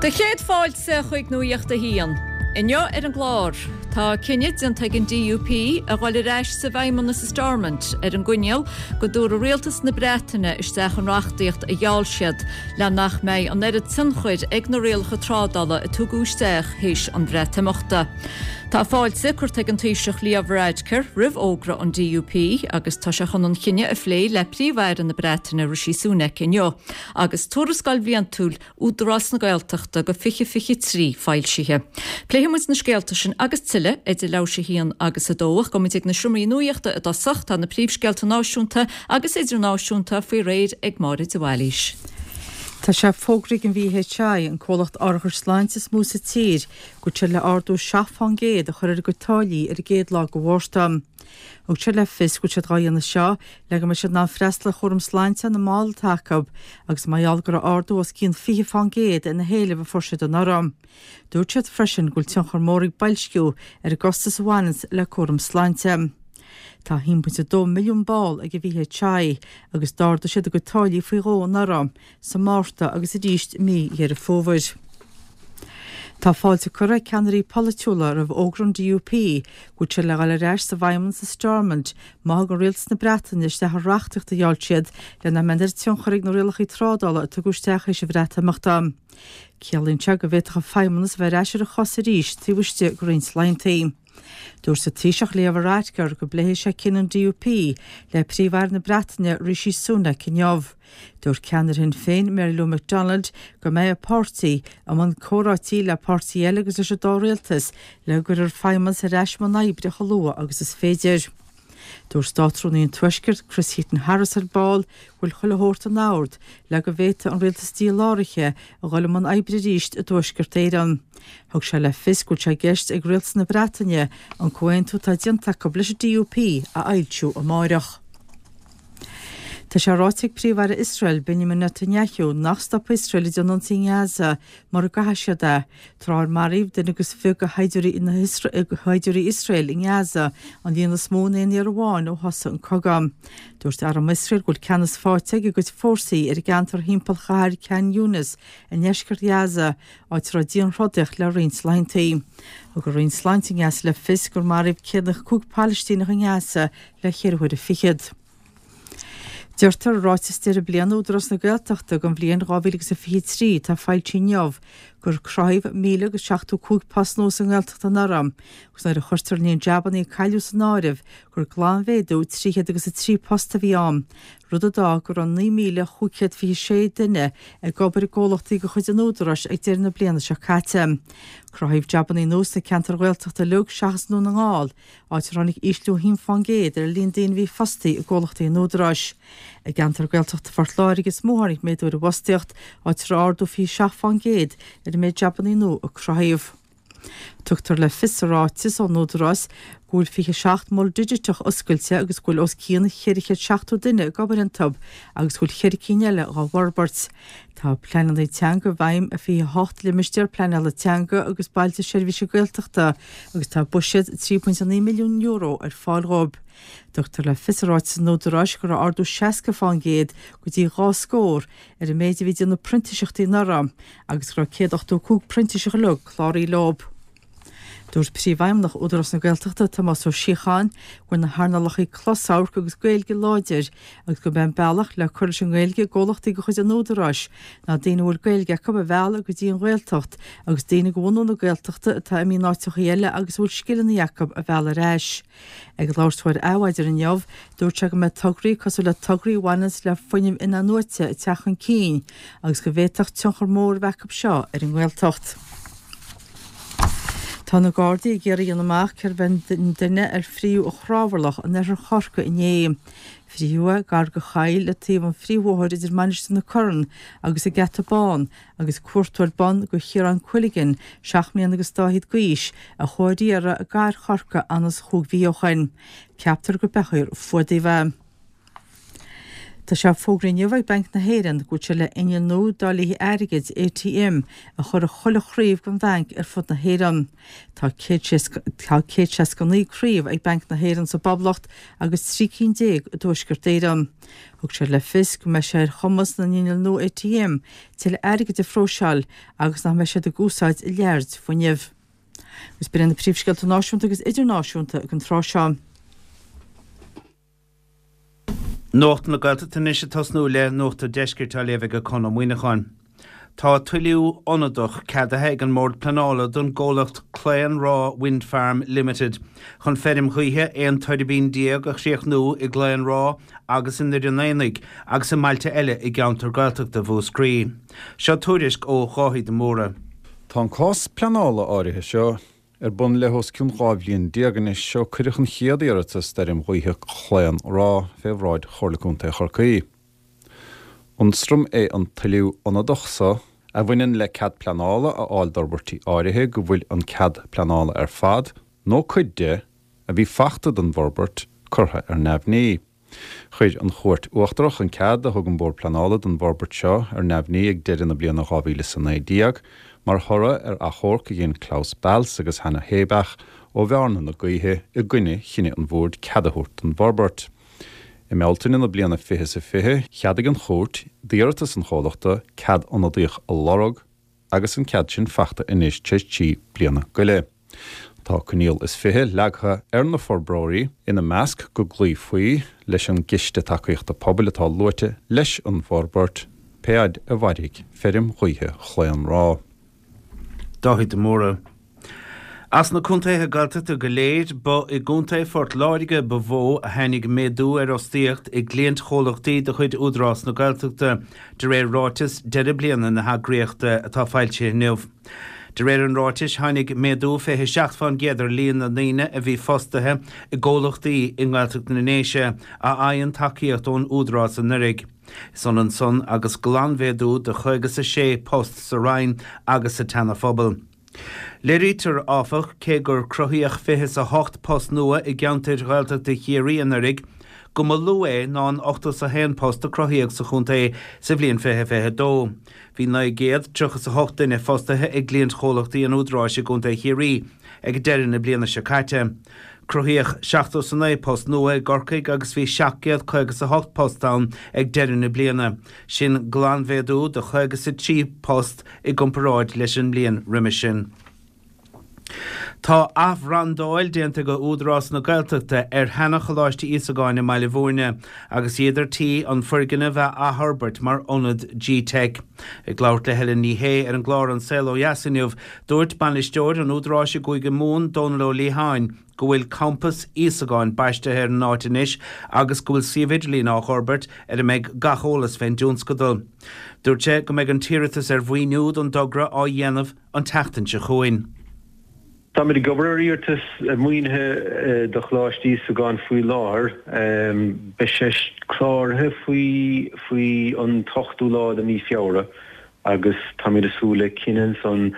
Do chéad fáilte chuig Nuacht a hAon. Inniu ar an gclár, tá cinneadh déanta ag an DUP a dhul ar ais sa bhFeidhmeannas i Stormont ar an gcoinníoll go dtabharfaidh Rialtas na Breataine isteach an reachtaíocht a gheall siad le nach mbeidh an oiread tionchair ag na rialacha trádála a tugadh isteach théis an Bhreatimeachta. Tá fáilte curtha ag an Taoiseach Leo Varadkar roimh fhógra an DUP agus tá sé chun an chinneadh a phlé le Príomh-Aire na Breataine Rishi Sunak inniu agus tuarascáil bhliantúil Údarás na Gaeltachta do 2023 foilsithe. Pléifidh muid na scéalta sin agus tuilleadh idir leathuair tar éis a haon agus a dó ach gabhfaidh muid ag na seomraí nuachta i dtosach. Tá na príomhscéalta náisiúnta agus idirnáisiúnta faoi réir ag Máire de Bhailís. Tá sé fógraithe ag an VHI, an comhlacht árachais sláinte is mó sa tír, go bhfuil siad le ardú 7% a chur ar a gcuid táillí ar an gcéad lá de Mhárta. Thug siad le fios go bhfuil siad dhá dhéanamh seo le go mbeidh siad in ann freastal ar chúram sláinte na mball atá acu agus mar gheall go raibh ardú os cionn 20% ar na héilimh a fuair siad anuraidh. Dúirt siad freisin go bhfuil tionchar mór ag boilsciú ar an gcostas a bhaineanns le cúram sláinte. Tá 1.2 milliún ball ag an VHI agus d'ardaigh siad a gcuid táillí faoi dhó anuraidh, sa Márta agus arís i mí Dheireadh Fómhair. Tá fáilte curtha ag ceannairí polaitiúla roimh fhógra an DUP go bhfuil siad le dhul ar ais sa bhFeidhmeannas i Stormont má thugann Rialtas na Breataine isteach an reachtaíocht a gheall siad le nach mbeidh an oiread tionchair ag na rialacha trádála a tugadh isteach théis an Bhreatimeachta. Ciallaíonn sé go bhféadfadh an Feidhmeannas a bheith ar ais ar a chosa arís taobh istigh de roinnt laethantaí. Dúirt an Taoiseach Leo Varadkar go bpléifidh sé cinneadh an DUP le Príomh-Aire na Breataine Rishi Sunak inniu. Dúirt ceannaire Shinn Féin Mary Lou McDonald go mbeidh a páirtí i mbun comhráití le páirtithe eile agus leis an dá rialtas le go gcuirfear Feidhmeannas ar ais i mbun oibre chomh luath agus is féidir. Dúirt Státrúnaí an Tuaiscirt, Chris Heaton-Harris ar ball go bhfuil chuile shórt in ord le go bhféadfaidh an rialtas díláraithe a dhul i mbun oibre arís i dTuaisceart Éireann. Thug sé le fios go bhfuil sé i gceist ag rialtas na Breataine an comhaontú atá déanta acu leis an DUP a fhoilsiú amáireach. Tá sé ráite ag Príomh-Aire Iosrael, Benjamin Netanyahu, nach stopfaidh Iosrael ag déanamh ionsaí i nGaza mura gcaithfidh siad é, tráth ar maraíodh duine agus fiche de shaighdiúirí Iosrael i nGaza, an líon is mó in aon iarraidh amháin ó thosaigh an cogadh. Dúirt arm Iosrael go bhfuil ceannas faighte ag a gcuid fórsaí ar an gceantar thimpeall chathair Khan Younis i ndeisceart Ghaza, áit a raibh dianthrodaíocht le roinnt laethantaí. Thug an Roinn Sláinte i nGaza le fios gur maraíodh 105 Palaistíneach i nGaza le cheithre huaire fichead. Deirtear i ráiteas deireadh bliana Údarás na Gaeltachta don bhliain 2023 atá foilsithe inniu gur cruthaíodh 1,075 post nua sa nGaeltacht anuraidh agus nuair a chuirtear an líon jabanna a cailleadh san áireamh gur glanmhéadú 303 post a bhí ann, rud a d'fhág go raibh 9,526 duine ag obair i gcomhlachtaí de chuid an Údaráis ag deireadh na bliana seo caite. Cruthaíodh jabanna nua sna ceantair Ghaeltachta uilig seachas i nDún na nGall, áit ar tháinig ísliú 1% ar an líon daoine a bhí fostaithe i gcomhlachtaí an Údaráis. I gceantar Gaeltachta Phort Láirge is mó a tháinig méadú ar an bhfostaíocht, áit a raibh ardú 27% ar an méid jabanna nua a cruthaíodh. Tugtar le fios sa ráiteas ón Údarás go bhfuil 27 mol digiteach oscailte agus go bhfuil os cionn 470 duine ag obair iontu agus go bhfuil cheithre cinn eile dhá bhforbairt. Tá pleananna teanga i bhfeidhm i 28 limistéar pleanála teanga agus bailte seirbhíse Gaeltachta agus tá buiséad €3.9 milliún ar fáil dhóibh. Tugtar le fios i ráiteas an Údaráis go raibh ardú 60% go dtí dhá scór ar an méid a bhí ag déanamh printiseachtaí anuraidh agus go raibh 185 printiseach uilig cláraithe leo. Dúirt Príomhfheidhmeannach Údarás na Gaeltachta, Tomás Ó Síocháin, go bhfuil na hearnálacha closamhairc agus Gaeilge láidir agus gurb é an bealach le cur leis an nGaeilge i gcomhlachtaí de chuid an Údaráis ná daoine a bhfuil Gaeilge acu a mhealladh go dtí an Ghaeltacht agus daoine de bhunú na Gaeltachta atá imithe in áiteachaí eile agus a bhfuil scileanna acu a mhealladh ar ais. Ag labhairt dó ar Adhmhaidin inniu, dúirt sé go mbeidh tograí cosúil le tograí a bhaineanns le fuinneamh in-athnuaite ag teacht chun cinn agus go bhféadfadh tionchar mór a bheith acu seo ar an nGaeltacht. Tá na Gardaí ag iarraidh a dhéanamh amach cérbh é an duine ar frítheadh i gCrábharlach in oirthear Chorcaí inné. Frítheadh é gar do choill le taobh an phríomhbhóthair idir Mainistir na Corann agus an Geata Bán agus cuartú ar bun do Chiarán Quilligan, seacht mbliana agus dá fhichead d'aois, a chuaigh ar iarraidh i gcathair Chorcaí anuas chúig mhí ó shoin. Ceaptar gur beathóir fuadaigh é. Tá sé fógraithe inniu ag Banc na hÉireann go bhfuil sé le inneall nua dáilithe airgid, ATM, a chur i chuile chraobh den bhanc ar fud na hÉireann. Tá 169 craobh ag Banc na hÉireann sa bPoblacht agus 13 cinn i dTuaisceart Éireann. Thug sé le fios go mbeidh sé ar chumas na n-inneall nua ATM tuilleadh airgid a phróiseáil agus nach mbeidh siad ag úsáid a lear fuinnimh. Agus b'in iad na príomhscéalta náisiúnta agus idirnáisiúnta ag an tráth seo. Nuacht na Gaeltachta anois ag tosnú le Nuacht an Deiscirt á léamh ag Conn Ó Muíneacháin. Tá toiliú ionadach ceadaithe ag an mBord Pleanála don gcomhlacht Claon Ráth Wind Farm Limited chun feirm ghaoithe 11 tuirbín a chríochnú i gClaon Ráth agus i nDoire an Aonaigh agus i mbailte eile i gceantar Gaeltachta Mhúscraí. Seo tuairisc ó Dháithí de Mórdha. Tá an cás pleanála áirithe seo ar bun le os cionn 12 bhliain anois ó cuireadh an chéad iarratas d'fheirm ghaoithe Chlaon Ráth fé bhráid Chomhairle Contae Chorcaí. Ionstraim é an toiliú ionadach so a bhaineann le cead pleanála a fháil d'fhorbairtí áirithe go bhfuil an cead pleanála ar fad, nó cuid de, a bhí fachta don bhforbairt, curtha ar neamhní. Chuir an Chúirt Uachtarach an cead a thug an Bord Pleanála don bhforbairt seo ar neamhní ag deireadh na bliana 2019 mar thoradh ar achomharc a dhein Klaus Balz agus Hanna Heibach ó Bhearna na Gaoithe i gcoinne chinneadh an Bhoird cead a thabhairt don bhforbairt. I mBealtaine na bliana 2020, cheadaigh an Chúirt d'iarratas an chomhlachta cead ionadaíoch a lorg, agus an cead sin fachta anois tar éis 3 bliana go leith. Tá coinníoll is 20 leagtha ar na forbróirí, ina measc go gcloífí leis an gCiste Tacaíochta Pobail atá luaite leis an bhforbairt, pé fhaid a mhairfidh feirm ghaoithe Chlaon Ráth. Dáithí de Mórdha. As na contaetha Gaeltachta go léir, ba i gContae Phort Láirge ba mhó a tháinig méadú ar fhostaíocht i gcliantchomhlachtaí de chuid Údarás na Gaeltachta, de réir ráiteas deireadh bliana na heagraíochta atá foilsithe inniu. De réir an ráitis, tháinig méadú 27 fán gcéad ar líon na ndaoine a bhí fostaithe i gcomhlachtaí i nGaeltacht na nDéise a fhaigheann tacaíocht ón Údarás anuraidh. Is ionann san agus glanmhéadú de 56 post sa Rinn agus sa tSeana-Phobal. Léirítear, áfach, cé gur cruthaíodh 28 post nua i gceantair Ghaeltachta Chiarraí anuraidh, go mba lú é ná an 81 post a cruthaíodh sa chontae sa bhliain 2022. Bhí 938 duine fostaithe i gcliantchomhlachtaí an Údaráis i gContae Chiarraí ag deireadh na bliana seo caite. Cruthaíodh 79 post nua i gCorcaigh agus bhí 758 post ann ag deireadh na bliana, sin glanmhéadú de 53 post i gcomparáid leis an mbliain roimhe sin. Tá athbhrandáil déanta ag Údarás na Gaeltachta ar sheana-Choláiste Íosagáin i mBaile Bhúirne agus iad ar tí an foirgneamh a athfhorbairt mar ionad G-Teic. Ag labhairt le Helen Ní Shé ar an gclár An Saol Ó Dheas inniu, dúirt bainisteoir an Údaráis i gCúige Mumhan, Dónal Ó Liatháin, go bhfuil Campas Íosagáin baistithe ar an áit anois agus go bhfuil suíomh idirlín á fhorbairt ar a mbeidh gach eolas fén dtionscadal. Dúirt sé go mbeidh an t-iarratas ar mhaoiniú don dtogra á dhéanamh an tseachtain seo chugainn. Táimid ag obair ar iarratas maoinithe do Choláiste Íosagáin faoi láthair. Beidh sé cláraithe faoi faoi an t-ochtú lá de mhí Feabhra. agus táimid ag súil le cinneadh ansan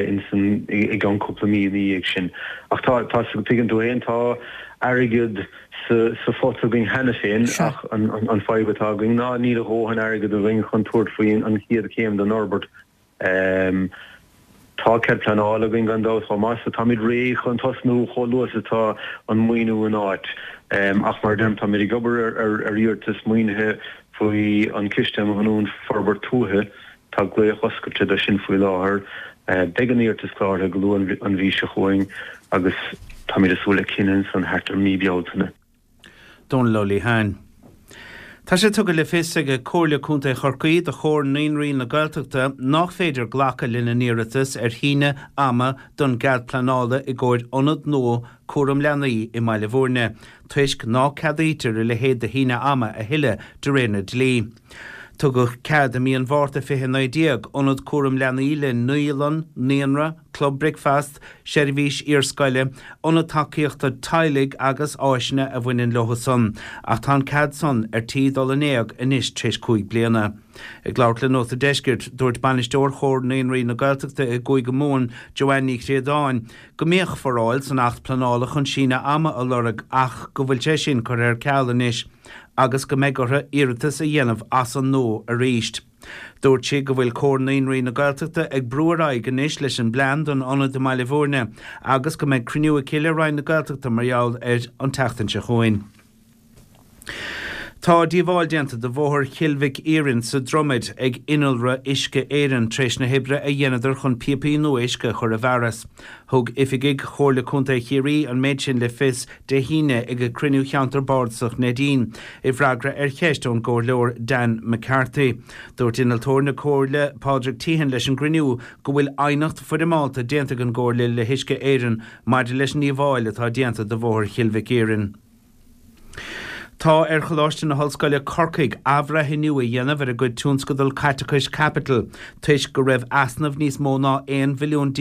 insan i gceann cúpla mí ina dhiaidh sin. Ach tá, tá, tuigeann tú fhéin, tá airgead sa, sa phota againn cheana féin ach an, an, an fadhb atá againn ná níl a dhóthain airgead againn chun tabhairt faoi an chéad chéim den fhorbairt. Tá cead pleanála againn gan dabht chomh maith so táimid réidh chun tosnú chomh luath is atá an maoiniú in áit. Ach mar a deirim, táimid ag obair ar iarratas maoinithe faoi an Ciste um Ghiniúint Forbairt Tuaithe. Tá glaoch oscailte do sin faoi láthair. Beidh an iarratas cláraithe go luath an mhí seo chugainn agus táimid ag súil le cinneadh ansan thart ar mí Bealtaine. Dónal Ó Liatháin. Tá sé tugtha le fios ag Comhairle Contae Chorcaí do Chomhar Naíonraí na Gaeltachta nách féidir glacadh lena n-iarratas ar shíneadh ama don gcead pleanála i gcomhair ionad nua cúram leanaí i mBaile Bhúirne toisc ná ceadaítear a leithéid de shíneadh ama a thuilleadh de réir na dlí. Tugadh cead i mí an Mhárta 2019 ionad cúram leanaí le naíolann, naíonra, club bricfeasta, seirbhís iarscoile, ionad tacaíochta teaghlaigh agus áiseanna a bhaineann leo san, ach tá an cead san ar tí dul in éag anois tar éis 5 bliana. Ag labhairt le Nuacht an Deiscirt, dúirt Bainisteoir Chomhar Naíonraí na Gaeltachta i gCúige Mumhan, Joanne Ní Chríodáin, go mbíodh foráil san Acht Pleanála chun síneadh ama a lorg ach go bhfuil sé sin curtha ar ceal anois. agus go mbeidh orthu iarratas a dhéanamh as an nua arís. Dúirt sí go bhfuil Comhar Naíonraí na Gaeltachta ag brú ar aghaidh anois leis an bplean don ionad i mBaile Bhúirne agus go mbeidh cruinniú aici le Roinn na Gaeltachta mar gheall air an tseachtain seo chugainn. Tá díobháil déanta do bhóthar Chill Mhic Iarainn sa Dromaid ag innealra Uisce Éireann tar éis na hoibre a dheineadar chun píopaí nua uisce a chur i bhfearas. Thug oifigigh Chomhairle Contae Chiarraí an méid sin le fios Dé hAoine ag cruinniú Cheantar Bardasach Neidín, i bhfreagra ar cheist ón gComhairleoir Dan McCarthy. Dúirt Innealtóir na Comhairle, Pádraig Teehan leis an gcruinniú go bhfuil aighneacht foirmeálta déanta ag an gComhairle le hUisce Éireann maidir leis an ndíobháil atá déanta do bhóthar Chill Mhic Iarainn. Tá ar Choláiste na hOllscoile Corcaigh athbhreithniú a dhéanamh ar a gcuid tionscadal caiteachais caipitil toisc go raibh easnamh níos mó ná €11 mhilliún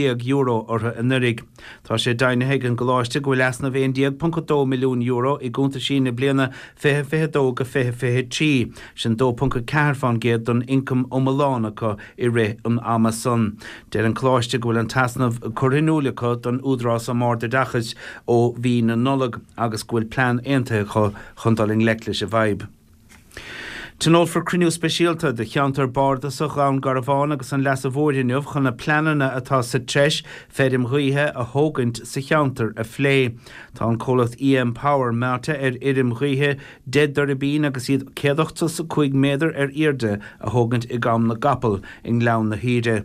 orthu anuraidh. Tá sé deimhnithe ag an gcoláiste go bhfuil easnamh €11.2 milliún i gcuntaisí na bliana 2022-2023, sin 2.4 fán gcéad den ioncam iomlán acu i rith an ama san. Deir an Coláiste go bhfuil an t-easnamh curtha in iúl acu don Údarás um Ard-Oideachais ó mhí na Nollag agus go bhfuil plean aontaithe acu chun dul i ngleic leis an bhfadhb. Tionólfar cruinniú speisialta de cheantar bardasach Dhún Garbhán agus an Leasa Mhóir inniu chun na pleananna atá sa treis feirm ghaoithe a thógaint sa cheantar a phlé. Tá an comhlacht EM Power meáite ar fheirm ghaoithe 10 dtuirbín agus iad 185 méadar ar airde a thógaint i gCam na gCapall i nGleann na hUidhre.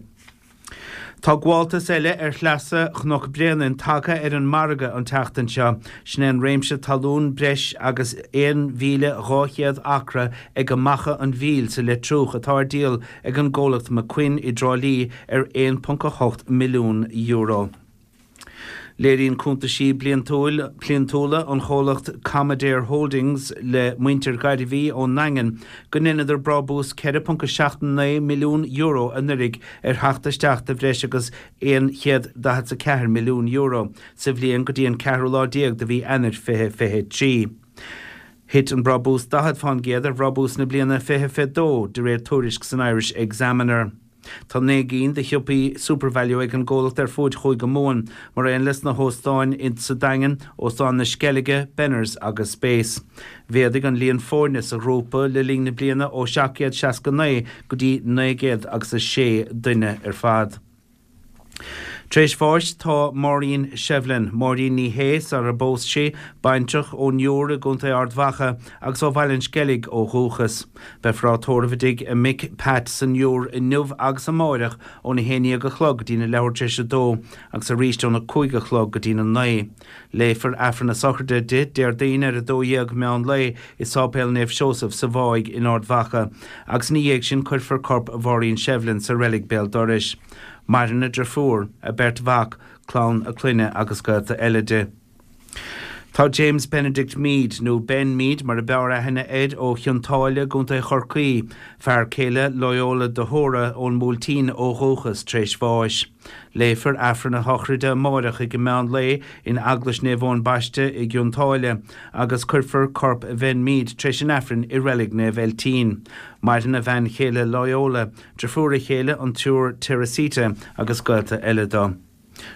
Tá gabháltas eile ar shleasa Chnoc Bréanainn tagtha ar an margadh an tseachtain seo. Sin é an réimse talún breis agus 1,200 acra ag Macha an Mhíl sa Leitriúch atá ar díol ag an gcomhlacht McQuinn i dTrá Lí ar €1.8 milliún. Léiríonn cuntaisí bliantúla an chomhlacht Commadair Holdings le muintir Ghairbhí ón nDaingean go ndeineadar brábús €4.79 milliún anuraidh ar theacht isteach de bhreis agus €144 milliún sa bhliain go dtí an ceathrú lá déag de mhí Eanáir 2023. Thit an brabús 40 fán gcéad ar bhrabús na bliana 2022, de réir tuairisc san Irish Examiner. Tá 9 gcinn de shiopaí SuperValu ag an gcomhlacht ar fuaid Chúige Mumhan, mar aon leis na hóstáin sa Daingean, Óstán na Sceilge, Benners agus Space. Mhéadaigh an líon foirne sa ghrúpa le linn na bliana ó 769 go dtí 906 duine ar fad. Tar éis bháis tá Maureen Shevlin, Máirín Ní Shé sar a bpós sí, baintreach ón Iúr i gContae Ard Mhacha agus ó Bhaile an Sceilg ó dhúchas. Beifear á tórramh i dtigh a mic Pat san Iúr inniu agus amáireach óna haon dhéag a chlog go dtína leathuair tar éis a dó agus arís óna cúig a chlog go dtína naoi. Léifear Aifreann a sochraide di Déardaoin ar 12 meán lae i Sáipéal Naomh Seosamh sa Mháigh in Ard Mhacha agus ina dhiaidh sin cuirfear corp Mháirín Shevlin sa reilig béal dorais. Maireann a driofúr, a beirt mhac, clann a clainne agus gaolta eile di. Tá James Benedict Meade, nó Ben Meade mar a b'fhearr aithne air, ó Chionn tSáile i gContae Chorcaí, fear céile Loyola de hÓra ón mBuailtín ó dhúchas, tar éis bháis. Léifear Aifreann a shochraide amáireach ag meán lae in Eaglais Naomh Eoin Baiste i gCionn tSáile agus cuirfear corp Bhen Meade tar éis an Aifrinn i Reilig Naomh Eiltín. Maireann a bhean chéile Loyola, driofúr a chéile an tSiúr Teresita agus gaolta eile dó.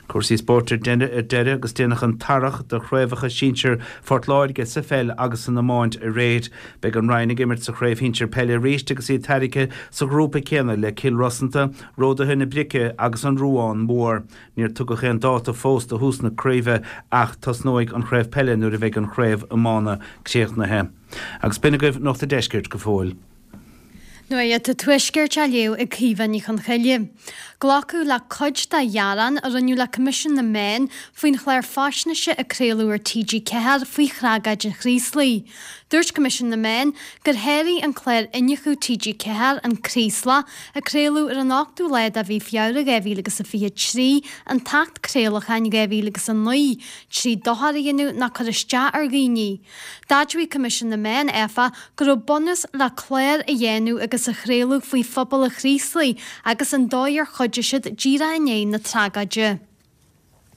Cúrsaí spóirt ar deireadh agus déanadh an t-earrach de chraobhacha sinsir Phort Láirge sa pheil agus san iomáint aréir. Beidh an Rinn ag imirt sa chraobh shinsir peile arís agus iad tairgthe sa ghrúpa céanna le Cill Rosanta, Ródaithe na Brice agus an Ruán Mór. Níor tugadh aon dáta fós do thús na craoibhe ach tosnóidh an chraobh peile nuair a bheidh an chraobh iomána críochnaithe. Agus b'in agaibh Nuacht an Deiscirt go fóill. Nuacht an Tuaiscirt á léamh ag Caoimhe Ní Chonchoille. Glacadh le cuid de ghearáin a rinneadh le Coimisiún na Meán faoin chlár faisnéise a craoladh ar TG4 faoi thragóid an Chraoslaigh. Dúirt Coimisiún na Meán gur sháraigh an clár Iniúchadh TG4, An Craoslach, a craoladh ar an ochtú lá de mhí Feabhra 2023, an tAcht Craolacháin 2009, trí dochar a dhéanamh ná cur isteach ar dhaoine. D'admhaigh Coimisiún na Meán, áfach, go raibh bunús le clár a dhéanamh agus a chraoladh faoi phobal an Chraoslaigh agus an dóigh ar chuidigh siad díreach i ndiaidh na tragóide.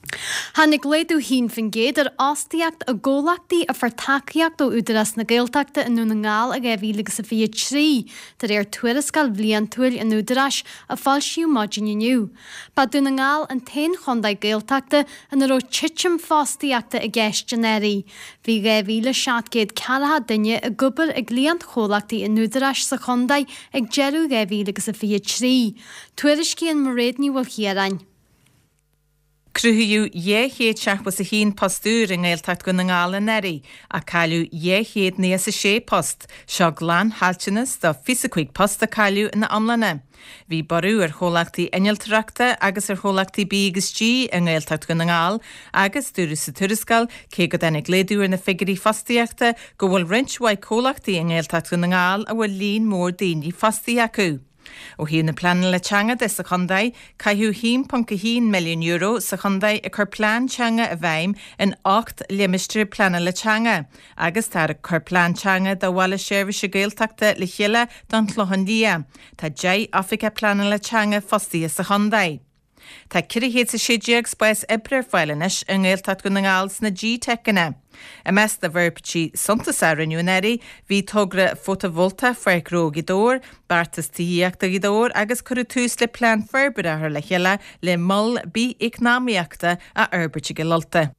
Tháinig laghdú 1% ar fhostaíocht i gcomhlachtaí a fuair tacaíocht ó Údarás na Gaeltachta i nDún na nGall i 2023, de réir tuarascáil bhliantúil an Údaráis a foilsíodh maidin inniu. Ba Dún na nGall an t-aon chontae Gaeltachta ina raibh titim fostaíochta i gceist anuraidh. Bhí 2,740 duine ag obair i gcliantchomhlachtaí an Údaráis sa chontae ag deireadh 2023. Tuairiscíonn Mairéad Ní Mhaoilchiaráin. Cruthaíodh 271 post úr i nGaeltacht Dhún na nGall anuraidh, ach cailleadh 296 post. Seo glanchaillteanas de 25 post a cailleadh ina iomláine. Bhí borradh ar chomhlachtaí innealtóireachta agus ar chomhlachtaí B agus G i nGaeltacht Dhún na nGall agus dúradh sa tuarascáil, cé go dtáinig laghdú ar na figiúirí fostaíochta, go bhfuil roinnt mhaith comhlachtaí i nGaeltacht Dhún na nGall a bhfuil líon mór daoine fostaithe acu. Ó thaobh na pleanála teanga de sa chontae, caitheadh €1.1 milliún sa chontae ag cur plean teanga i bhfeidhm in 8 limistéar pleanála teanga agus táthar ag cur plean teanga do Bhaile Seirbhíse Gaeltachta le chéile don Chlochán Liath. Tá 10 oifigeach pleanála teanga fostaithe sa chontae. Tá 416 spás oibre ar fáil anois i nGaeltacht Dhún na nGall sna GTeiceanna. I measc na bhforbairtí suntasacha a rinneadh anuraidh bhí togra fótavoltach Pháirc Ghnó Ghaoth Dobhair, beartas tithíochta Ghaoth Dobhair agus cuireadh tús le plean forbartha a chur le chéile le mol bith-eacnamaíochta a fhorbairt i gCill Ulta.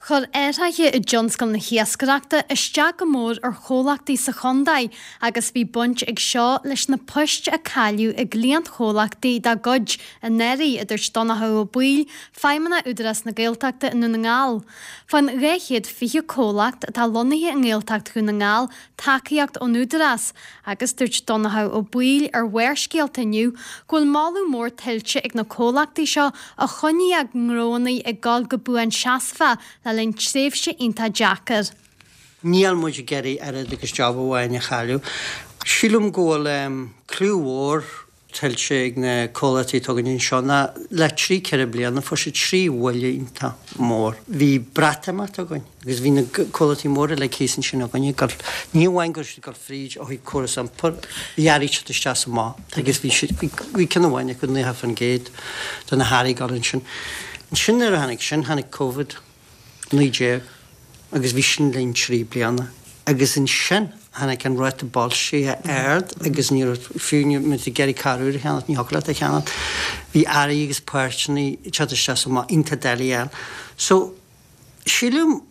Chuir athruithe i dtionscal na hiascaireachta isteach go mór ar chomhlachtaí sa chontae agus bhí baint ag seo leis na poist a cailleadh i gcliantchomhlachtaí dá gcuid anuraidh, a dúirt Donnchadh Ó Baoill, Feidhmeannach Údarás na Gaeltachta i nDún na nGall. Faigheann 220 comhlacht atá lonnaithe i nGaeltacht Dhún na nGall tacaíocht ón Údarás agus dúirt Donnchadh Ó Baoill ar Bharrscéalta inniu go bhfuil moladh mór tuillte ag na comhlachtaí seo a choinnigh a ngnóanna ag dul go buanseasmhach le linn tréimhse iontach deacair. Níl muid ag iarraidh oiread agus job amháin a chailleadh. Sílim go bhfuil cliú mhór tuillte ag na comhlachtaí atá againn anseo ná le trí, ceithre bliana fuair siad trí bhuille iontach mór. Bhí Breatimeacht againn agus bhí na comhlachtaí móra uilig thíos ansin againn ag dul, ní amháin go raibh siad ag dul fríd ó thaobh córas iompair, bhí earraí ag teacht isteach is amach agus bhí siad, bhí ceann amháin acu 90% de na hearraí ag dul ansin. Ansin nuair a tháinig sin, tháinig Covid. 19 agus bhí sin linn 3 bliana agus ansin tháinig an ráta boilscithe ard agus ní raibh, fiú má bhí tú ag iarraidh carr úr a cheannacht, ní thiocfadh leat é a cheannacht. Bhí earraí agus páirteanna ag teacht isteach is amach iontach doiligh a fháil. So, sílim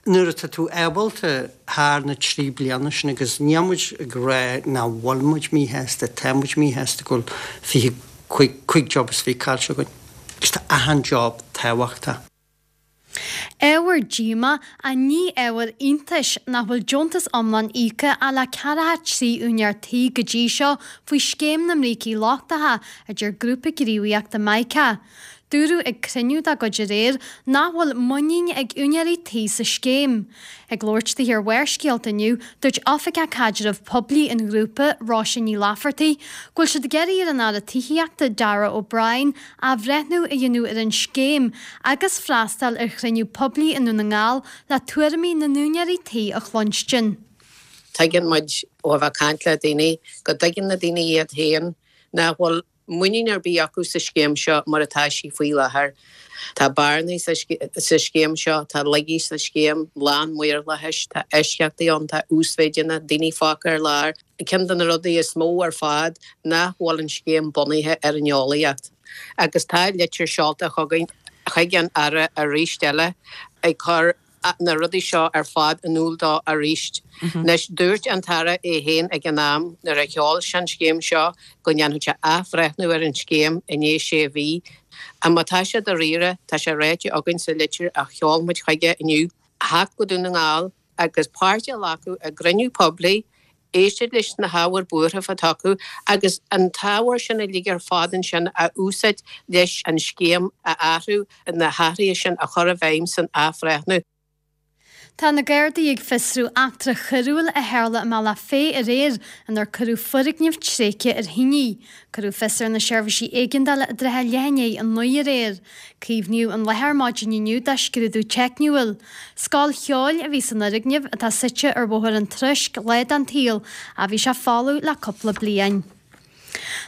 nuair atá tú ábalta thar na 3 bliana sin agus níl muid ag rá nach bhfuil muid míshásta, tá muid míshásta go bhfuil 25, 5 job is 20 caillte againn agus tá achan job tábhachtach. Ábhar díomá, ach ní ábhar iontais, nach bhfuil deontas iomlán íoctha ach le ceathracha 3 úinéir tí go dtí seo faoi scéim na mbrící lochtacha, a deir grúpa gníomhaíochta Mica. Dúradh ag cruinniú dá gcuid aréir nach bhfuil muinín ag úinéirí tí sa scéim. Ag labhairt di ar Bharrscéalta inniu, dúirt Oifigeach Caidreamh Poiblí an ghrúpa, Róise Ní Laifeartaigh, go bhfuil siad ag iarraidh ar an Aire Tithíochta, Darragh O'Brien, athbhreithniú a dhéanamh ar an scéim agus freastal ar chruinniú poiblí i nDún na nGall le tuairimí na n-úinéirí tí a chluinstin. Tuigeann muid ó a bheith ag caint le daoine go dtuigeann na daoine iad féin nach bhfuil muinín ar bith acu sa scéim seo mar atá sí faoi láthair. Tá bearnaí sa scéim seo, tá laigí sa scéim, lán maorlathais, tá eisceachtaí ann, tá uasmhéideanna, daoine fágtha ar lár. Ceann de na rudaí is mó ar fad nach bhfuil an scéim bunaithe ar an eolaíocht agus tá litir seolta chugainn chuig an Aire arís eile ag cur na rudaí seo ar fad in iúl dó arís. Anois, dúirt an tAire é féin ag an am nuair a sheol sé an scéim seo go ndéanfadh sé athbhreithniú ar an scéim i ndiaidh sé mhí. Má tá sé dáiríre, tá sé ráite againn sa litir a sheol muid chuige inniu, theacht go Dún na nGall, agus páirt a ghlacadh i gcruinniú poiblí, éisteacht leis na hábhair buartha atá acu agus an t-ábhar sin uilig ar fad ansin a úsáid leis an scéim a athrú, na hathruithe sin a chur i bhfeidhm san athbhreithniú. Tá na Gardaí ag fiosrú eachtra choiriúil a tharla i mBealach Féich aréir inar cuireadh foirgneamh tréigthe ar thine. Cuireadh fios ar na seirbhísí éigeandála i dtrátha leath i ndiaidh a 9 aréir. Caomhnaíodh an láthair maidin inniu do scrúdú teicniúil. Scoil cheoil a bhí san fhoirgneamh, atá suite ar Bhóthar an Troisc lá den tsaol, ach bhí sé folamh le cúpla bliain.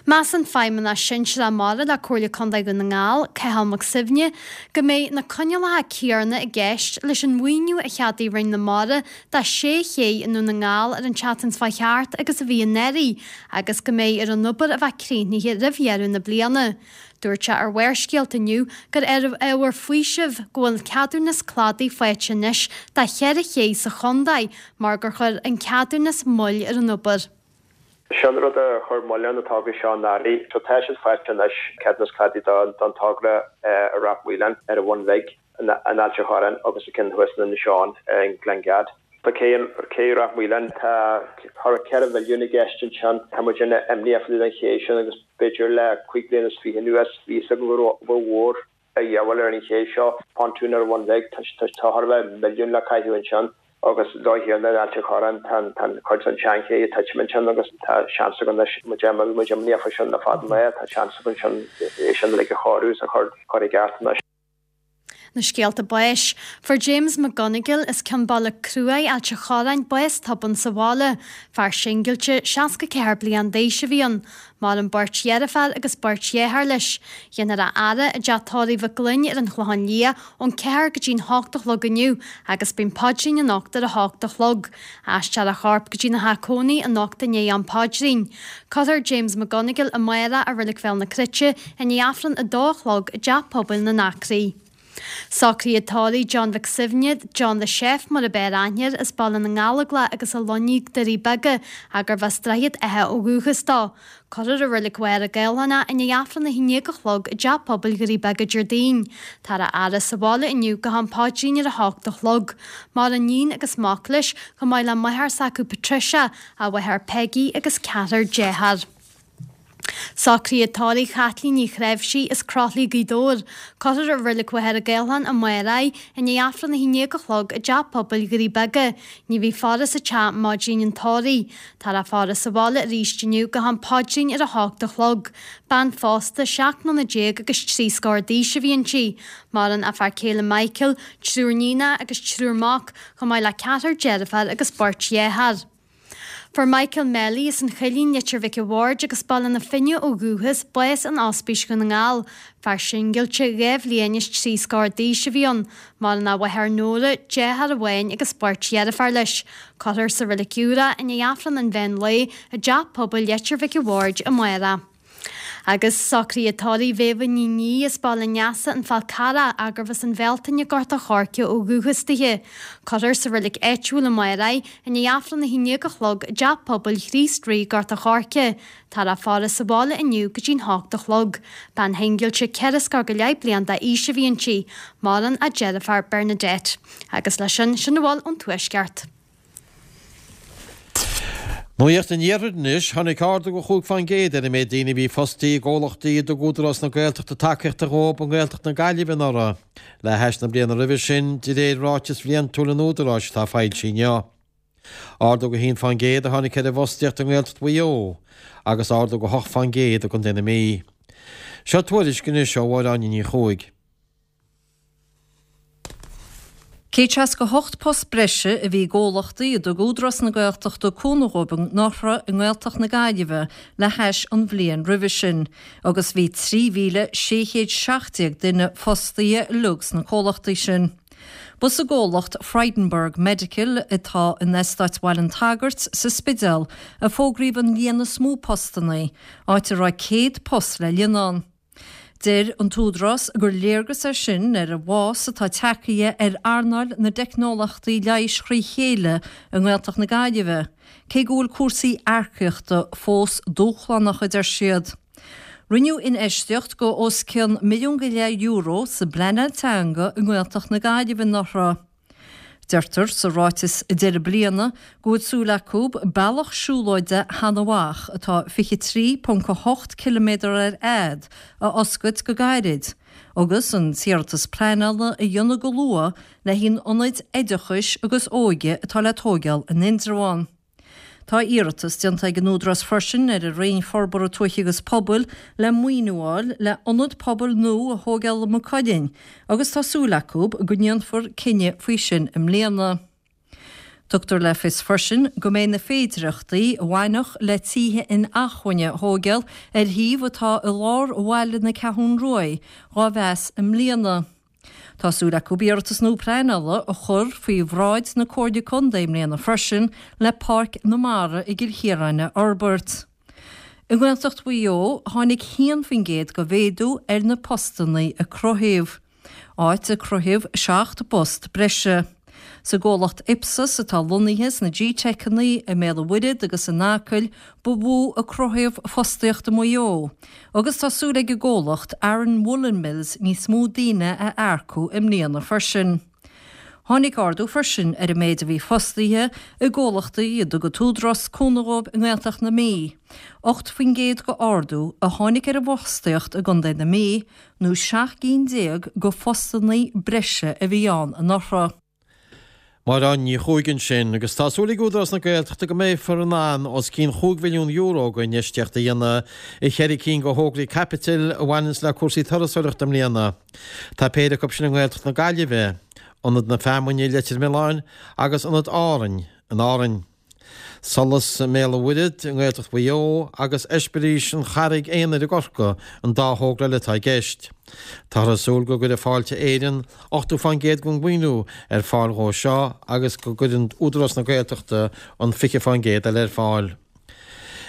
Measann Feidhmeannach Sinsearach Mara le Comhairle Contae Dhún na nGall, Cathal Mac Suibhne, go mbeidh na coinníollacha céanna i gceist leis an mhaoiniú a cheadaigh Roinn na Mara do sé ché i nDún na nGall ar an tseachtain seo thart agus a bhí anuraidh agus go mbeidh ar an obair a bheith críochnaithe roimh dheireadh na bliana. Dúirt sé ar Bharrscéalta inniu gur ábhar faoisimh go bhfuil ceadúnas cladaigh faighte anois do cheithre ché sa chontae mar gur chuir an ceadúnas moill ar an obair. Sin rud a chuir moill ar na tograí seo anuraidh. So tá siad faighte anois, ceadúnas cladaigh don togra i Ráth Maoláin ar an Bhun Bhig, in Ailt an Chorráin agus an ceann thuas in Inis Eoghain i nGleann Gad. Tá cé cé Ráth Maoláin, tá thar 4 mhilliún i gceist ansin. Tá muid an-imníoch fá dtaobh den ché sin agus b'fhéidir le cúig bliana is fiche anuas bhí fhios againn go raibh obair mhór a dhíobháil ar an ché seo, pontún ar an Bhun Bhig, tá thar a bheith milliún le caitheamh ansin agus an dóigh chéanna in Ailt an Chorráin, tá an chuid den tseanché ag titim ansin agus tá seans againn anois, muid bhí muid imníoch faoi sin le fada an lá, tá seans againn sin é sin uilig a chóiriú is a chur i gceart anois. Na scéalta báis. Fuair James McGonigle as Ceann Baile Cruaidh, Ailt an Chorráin, bás tobann sa bhaile. Fear singilte, 64 bliain d'aois a bhí ann. Maireann beirt dheirféar agus beirt dheartháir leis. Dhéanfar a fhaire i dteach tórraimh Mhic Gloinn ar an Chlochán Liath ón 4 go dtí'n 8 a chlog inniu agus beidh an paidrín anocht ar a hocht a chlog. Aistreofar a chorp go dtína theach cónaí anocht i ndiaidh am paidrín. Cuirfear James McGonigle amárach i Reilig Bhéal na Cruite i ndiaidh Aifreann a dó a chlog i dTeach Pobail na nAcraí. Socruithe tórraimh John Mhic Suibhne, John the Chef mar ab fhearr aithne air, as Baile na nGallóglach agus a lonnaíodh Doirí Beaga, gurbh as Droichead Átha ó dhúchas dó. Cuirfear i Reilig Mhachaire Gathlán é i ndiaidh Aifreann 11 a chlog i dTeach Pobail Dhoirí Beaga Déardaoin. Táthar á fhaire sa bhaile inniu go ham paidrín ar a hocht a chlog. Maireann iníon agus mac leis, chomh maith le máthair s'acu Patricia, a mháthair Peggy agus ceathrar dearthár. Socruithe tórraimh Chaitlín Ní Chreimhsí as Croithlí Gaoth Dobhair. Cuirfear i Reilig Mhachaire Gathlán amárach í i ndiaidh Aifreann 11 a chlog i dTeach Pobail Dhoirí Beaga. Ní bheidh faire sa teach maidin an tórraimh. Táthar á faire sa bhaile arís inniu go ham paidrín ar a hocht a chlog. Bean phósta, 17 mbliana agus trí scór d'aois a bhí inti. Maireann a fear céile Michael, triúr níonacha agus triúr mac, chomh maith le ceathrar deirféar agus beirt dhearthár. Fuair Michael Melly as an Choillín, Leitir Mhic a' Bhaird agus Baile na Finne ó dhúchas, bás in Ospís Dhún na nGall. Fear singilte, 2 bhliain is 3 scór d'aois a bhí ann. Maireann a mháthair Nóra, deartháir amháin agus beirt dheirféar leis. Cuirfear sa Reilig Úr é i ndiaidh Aifreann an mheán lae i dTeach Pobail Leitir Mhic a' Bhaird amárach. Agus socruithe tórraimh Mhéabha Ní Niadh as Baile an Easa, An Fál Carrach, gurbh as an Bhealtaine, Gort a' Choirce ó dhúchas dithe. Cuirfear sa reilig áitiúil amárach í, i ndiaidh Aifreann 11 a chlog i dTeach Pobail Chríost Rí, Gort a' Choirce. Táthar á faire sa bhaile inniu go dtí'n hocht a chlog. Bean shingilte 4 scór go leith bliain d'aois a bhí inti. Maireann a deirfiúr Bernadette. Agus leis sin, sin a bhfuil ón Tuaisceart. Nuacht an Iarthair anois. Tháinig ardú de 5% ar an méid daoine a bhí fostaithe i gcomhlachtaí a dtug Údarás na Gaeltachta tacaíocht dhóibh i nGaeltacht na Gaillimhe anuraidh, le hais na bliana roimhe sin, de réir ráiteas bhliantúil an Údaráis atá foilsithe inniu. Ardú de 1% a tháinig ar an bhfostaíocht i nGaeltacht Mhaigh Eo agus ardú de 8% i gContae na Mí. Seo tuairisc anois ó Mháire Áine Ní Chuaig. 168 post breise a bhí i gcomhlachtaí a dtug Údarás na Gaeltachta cúnamh dhóibh anuraidh i nGaeltacht na Gaillimhe le hais an bhliain roimhe sin agus bhí 3,617 duine fostaithe uilig sna comhlachtaí sin. Ba sa gcomhlacht Frydenberg Medical atá in Eastát Bhaile an tSagairt sa Spidéal a fógraíodh an líon is mó postanna, áit a raibh 100 post le líonadh ann. Deir an tÚdarás gur léargas é sin ar an bhfás atá tagtha ar earnáil na dteicneolaíochtaí leighis thrí chéile i nGaeltacht na Gaillimhe, cé go bhfuil cúrsaí earcaíochta fós dúshlánach, a deir siad. Rinneadh infheistíocht de os cionn €1.5 milliún sa bpleanáil teanga i nGaeltacht na Gaillimhe anuraidh. Deirtear sa ráiteas deireadh bliana go bhfuil súil acu bealach siúlóide Sheanadh Mhach, atá 23.8 ciliméadar ar fhad, a oscailt go gairid, agus an t-iarratas pleanála a dhéanamh go luath le haghaidh an ionaid oideachais agus óige atá le tóigeáil in Indreabhán. Tá iarratas déanta ag an Údarás freisin ar an Roinn Forbartha Tuaithe agus Pobail le maoiniú a fháil le ionad pobail nua a thóigeáil i Maigh Cuilinn agus tá súil acu go ndéanfar cinneadh faoi sin i mbliana. Tugtar le fios freisin go mbeidh na féidireachtaí a bhainfeadh le tithe inacmhainne a thóigeáil ar shuíomh atá i lár bhaile na Ceathrún Ruaidh dhá mheas i mbliana. Tá súil acu iarratas nua pleanála a chur faoi bhráid na Comhairle Contae i mbliana freisin le Páirc na Mara i gCill Chiaráin a fhorbairt. I nGaeltacht Mhaigh Eo, tháinig 1% de mhéadú ar na postanna a cruthaíodh. áit a cruthaíodh 7 bpost breise. Sa gcomhlacht Ipsos atá lonnaithe sna G-Teiceanna i mBéal an Mhuirthead agus in Acaill ba mhó a cruthaíodh fostaíocht i Maigh Eo agus tá súil ag an gcomhlacht Aran Woollen Mills níos mó daoine a earcú i mbliana freisin. Tháinig ardú freisin ar an méid a bhí fostaithe i gcomhlachtaí a dtug an tÚdarás cúnamh dhóibh i nGaeltacht na Mí. 8% de ardú a tháinig ar an bhfostaíocht i gContae na Mí nó 17 gcinn de phostanna breise a bhí ann anuraidh. Máire Áine Ní Chuaig ansin, agus tá súil ag Údarás na Gaeltachta go mbeifear in ann os cionn €5 mhilliún de infheistíocht a dhéanamh i cheithre cinn de thograí caipitil a bhaineanns le cúrsaí turasóireachta i mbliana. Tá péire acu sin i nGaeltacht na Gaillimhe, Ionad na Feamainne i Leitir Mealláin agus Ionad Árainn in Árainn. Solas i mBéal an Mhuirthead i nGaeltacht Mhaigh Eo agus Eispéiris an Charraig Aonair i gCorcaigh an dá thogra eile atá i gceist. Táthar ag súil go gcuirfidh Fáilte Éireann 80% den mhaoiniú ar fáil dhó seo agus go gcuireann Údarás na Gaeltachta an 20% eile ar fáil.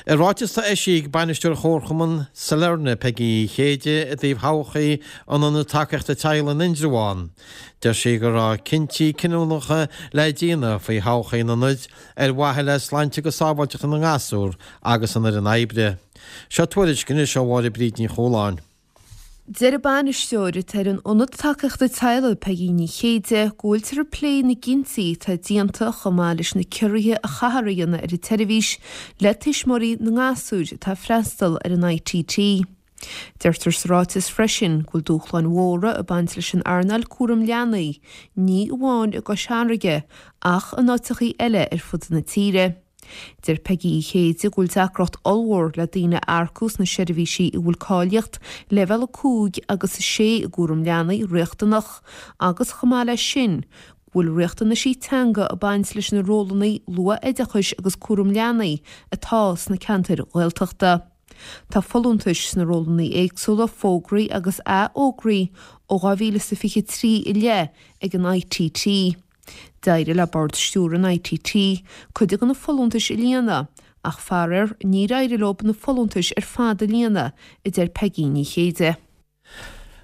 I ráiteas atá eisithe ag bainisteoir Chomharchumann Sailearna, Peigí Uí Chéide, i dtaobh thodhchaí an Ionaid Tacaíochta Teaghlaigh in Indreabhán, deir sí go raibh cinntí cinniúnacha le déanamh faoi thodhchaí an ionaid ar mhaithe le sláinte agus sábháilteacht na ngasúr agus an fhoireann oibre. Seo tuairisc anois ó Mháire Bríd Ní Chualáin. Deir an bainisteoir atá ar an Ionad Tacaíochta Teaghlaigh, Peigí Ní Chéide, go bhfuiltear ag plé na gcinntí atá déanta chomh maith leis na ciorruithe a chaithfear a dhéanamh ar an tseirbhís le tuismitheoirí na ngasúir atá ag freastal ar an ITT. Deirtear sa ráiteas freisin go bhfuil dúshláin mhóra ag baint leis an earnáil cúram leanaí, ní amháin i gCois Fharraige ach in áiteachaí eile ar fud na tíre. Deir Peigí Uí Chéide go bhfuil deacracht ollmhór le daoine a earcú sna seirbhísí a bhfuil cáilíocht leibhéal 5 agus 6 i gcúram leanaí riachtanach agus chomh maith leis sin go bhfuil riachtanaisí teanga ag baint leis na rólanna luath-oideachais agus cúram leanaí atá sna ceantair Ghaeltachta. Tá folúntais sna rólanna éagsúla fógraithe agus athfhógraithe ó 2023 i leith ag an ITT. D'éirigh le Bord Stiúrtha an ITT cuid de na folúntais a líonadh, ach faraor níor éirigh leo na folúntais ar fad a líonadh, a deir Peigí Ní Chéide.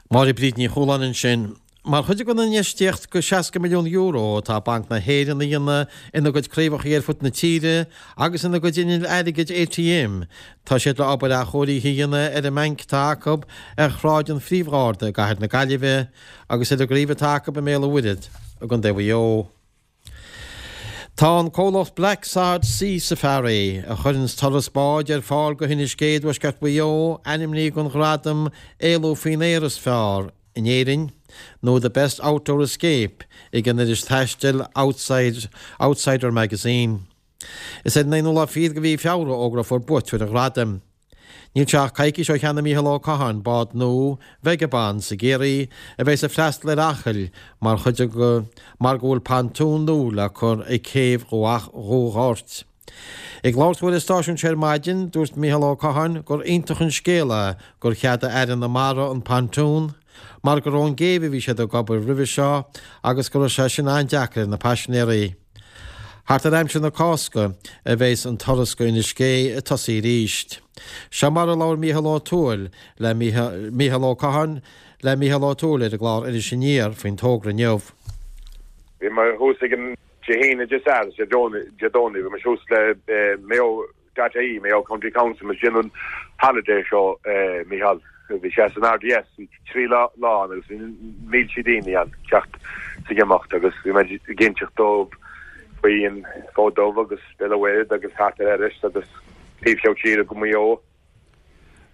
Máire Bríd Ní Chualáin ansin. Mar chuid den infheistíocht de €60 milliún atá Banc na hÉireann a dhéanamh ina gcuid craobhacha ar fud na tíre agus ina gcuid innill airgid ATM, tá siad le obair athchóirithe a dhéanamh ar an mbanc atá acu ar Shráid an Phríomh-Gharda i gcathair na Gaillimhe. agus ar an gcraobh atá acu i mBéal an Mhuirthead i gContae Mhaigh Eo. Tá an comhlacht Blacksod Sea Safari, a chuireanns turas báid ar fáil go hInis Gé i dtuaisceart Mhaigh Eo, ainmnithe don ghradam 'Éalú faoin Aer is Fearr in Éirinn' nó 'The Best Outdoor Escape' ag an iris taistil Outside Outsider Magazine. Is ar an aonú lá fichead de mhí Feabhra a fhógrófar buaiteoir an ghradaim. Níl sé ach coicís ó cheannaigh Mícheál Ó Catháin bád nua, Vagabond, i gCiarraí, a bheas ag freastal ar Acaill mar chuid de mar go bhfuil pontún nua le cur ag céibh Dhumha Ghoirt. Ag labhairt dó ar an stáisiún seo ar maidin, dúirt Mícheál Ó Catháin gur iontach an scéal é gur cheadaigh Aire na Mara an pontún mar gur ón gcéibh a bhí siad ag obair roimhe seo agus go raibh sé sin an-deacair ar na paisinéirí. Thart ar aimsir na Cásca a bheas an turas go Inis Gé ag tosaí arís. Seo mar a labhair Mícheál Ó Tuathail le Mícheál Ó Catháin le Mícheál Ó Tuathail ar an gclár Iris Aniar faoin togra inniu. Bhí mé thuas ag an Dé hAoine, Dé Sathairn is Dé Domhnaigh, bhí mé thuas le Mayo dot ie, Mayo County Council, muid ag déanamh an holiday seo, Mícheál. Bhí sé san RDS, bhí 3 lá ann agus bhí mílte daoine ann ag teacht is ag imeacht agus bhí muid ag inseacht dóibh faoi an Fód Dubh agus Béal an Mhuirthead agus thart ar Iorras agus taobh thiar tíre go Maigh Eo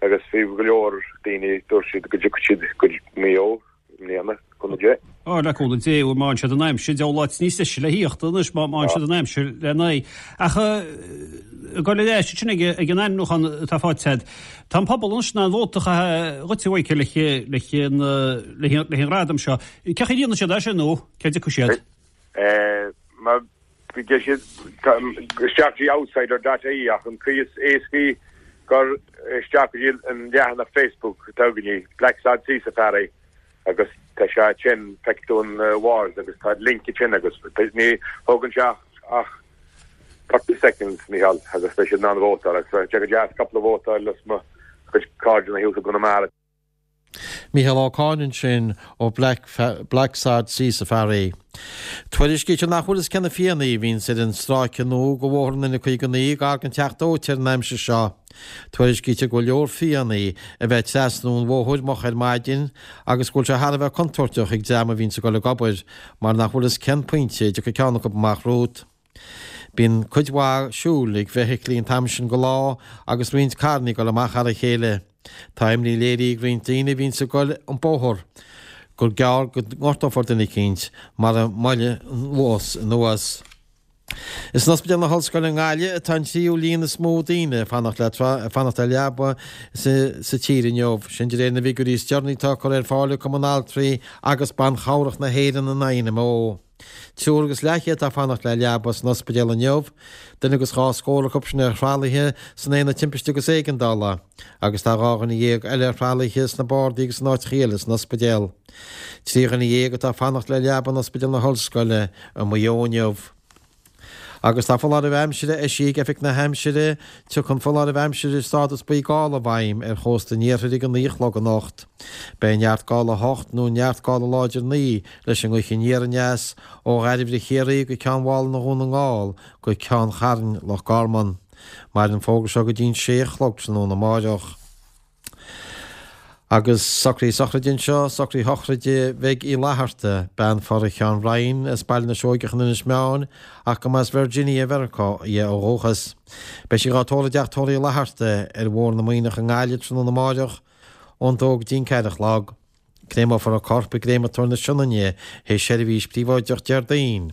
agus bhí go leor daoine, dúirt siad go dtiocfaidh siad go Maigh Eo. i mbliana, cúnamh Dé. Á, le cúnamh Dé, má fhaigheann siad an aimsir, diabhal áit níos deise le thíocht anois má fhaigheann siad an aimsir le n-aghaidh. Ach ag dul ar ais ansin ag an ainmniúchán atá faighte agat, tá an pobal anois in ann vóta a chaitheamh dhuit, a Mhichael, leis an ghradam seo. Cén chaoi a ndéanann siad é sin nó cé dtiocfaidh siad? Mar. Deir siad isteach go dtí outsider dot ie ach an chaoi is éascaí gur isteach go dtí an leathanach Facebook atá againne, Blacksod Sea Safari, agus tá sé ansin, feicfidh tú an walls agus tá link ansin agus ní thógann sé ach 30 seconds, Mícheál, agus beidh siad in ann vótáil agus bheadh sé go deas cúpla vóta a fháil as mo chuid cairde thuas i gConamara. Mícheál Ó Cadhain ansin ó Blacksod Sea Safari. Tuairiscítear nach bhfuil fhios cé na fianna a bhíonns ar an stráice nua de bhóthar an N59 gar don Teach Dóite ar an aimsir seo. Tuairiscítear go bhfuil leor fianna a bheith ag trasnú an bhóthair moch ar maidin agus go bhfuil sé thar a bheith contúirteach ag dream a bhíonns ag dul ag obair mar nach bhfuil fhios cén pointe a dtiocfaidh ceann acu amach romhat. Bíonn cuid mhaith siúil ag feithiclí an t-am sin de lá agus roinnt carranna ag dul amach thar a chéile. Tá imní léirithe ag roinnt daoine a bhíonns ag dul an bóthar gur gearr go ngortófar duine eicínt mara moille an luas anuas. Is in Ospidéal na hOllscoile i nGaillimh atá an tríú líon is mó daoine ag fanacht le ag fanacht le leaba sa tír inniu, sin de réir na bhfigiúirí is deireanaí atá curtha ar fáil ag Cumann Altraí agus Ban Chabhrach na hÉireann, an INMO. Triúr agus leathchéad atá ag fanacht le leaba san ospidéal inniu, duine agus dhá scór acu sin ar thralaithe san Aonad Timpiste agus Éigeandála agus tá 12 dhuine eile ar thralaithe sna bardaí agus in áiteacha eile san ospidéal. 13 dhuine atá ag fanacht le leaba in Ospidéal na hOllscoile i Maigh Eo inniu. Agus tá foláireamh aimsire eisithe ag Oifig na hAimsire. Tiocfaidh an foláireamh aimsire stádas buí gála i bhfeidhm ar chósta an iarthair ag a 9 a chlog anocht. Beidh neart gála 8 nó neart gála láidir 9 leis an ngaoth aniar aneas ó Dhairbhre Chiarraí go Ceann Mhálanna Dhún na nGall go Ceann Chairn Loch Garman. Mairfidh an fógra seo go dtí'n 6 a chlog tráthnóna amáireach. Agus socruithe sochraide anseo, socruithe shochraide Mheig Uí Fhlatharta, bean Phora Sheáin Ryan as Baile na Seoigeach in Inis Meáin ach go mb'as Virginia i Mheiriceá í ó dhúchas. Beidh sí dhá tórramh i dteach tórraimh Uí Fhlatharta ar Bhóthar na Muimhneach i nGaillimh tráthnóna amáireach ón dó go dtí'n 4 a chlog. Créamófar a corp i gCréamatóir na Sionainne théis seirbhís príobháideach Déardaoin.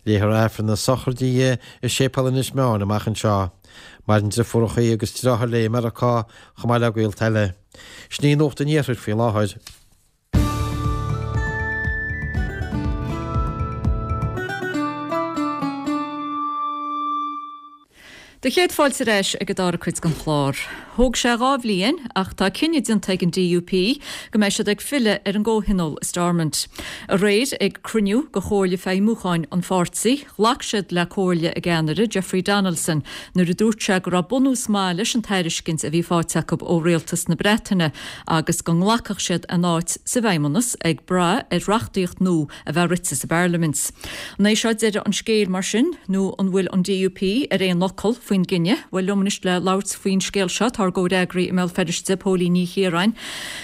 Léifear Aifreann na sochraide di i Séipéal Inis Meáin amach anseo. Maireann driofúrachaí agus deartháir léi i Meiriceá, chomh maith le gaolta eile. Sin í Nuacht an Iarthair faoi láthair. Do chéad fáilte ar ais ag an dara cuid den chlár. Thóg sé 2 bhliain ach tá cinneadh déanta ag an DUP go mbeidh siad ag filleadh ar an gcomhthionól i Stormont. Aréir ag cruinniú de Chomhairle Feidhmiúcháin an pháirtí, ghlac siad le comhairle a gceannaire, Jeffrey Donaldson, nuair a dúirt sé go raibh bunús maith leis an tairiscint a bhí faighte acu ó Rialtas na Breataine agus go nglacfadh siad a n-áit sa bhFeidhmeannas ag brath ar reachtaíocht nua a bheith rite sa bParlaimint. An é seo deireadh an scéil mar sin nó an bhfuil an DUP ar aon fhocal faoin gcinneadh? Bhuel, liom anois le labhairt faoin scéal seo tá ár gcomhfhreagraí i mBéal Feirste, Póilín Ní Chiaráin.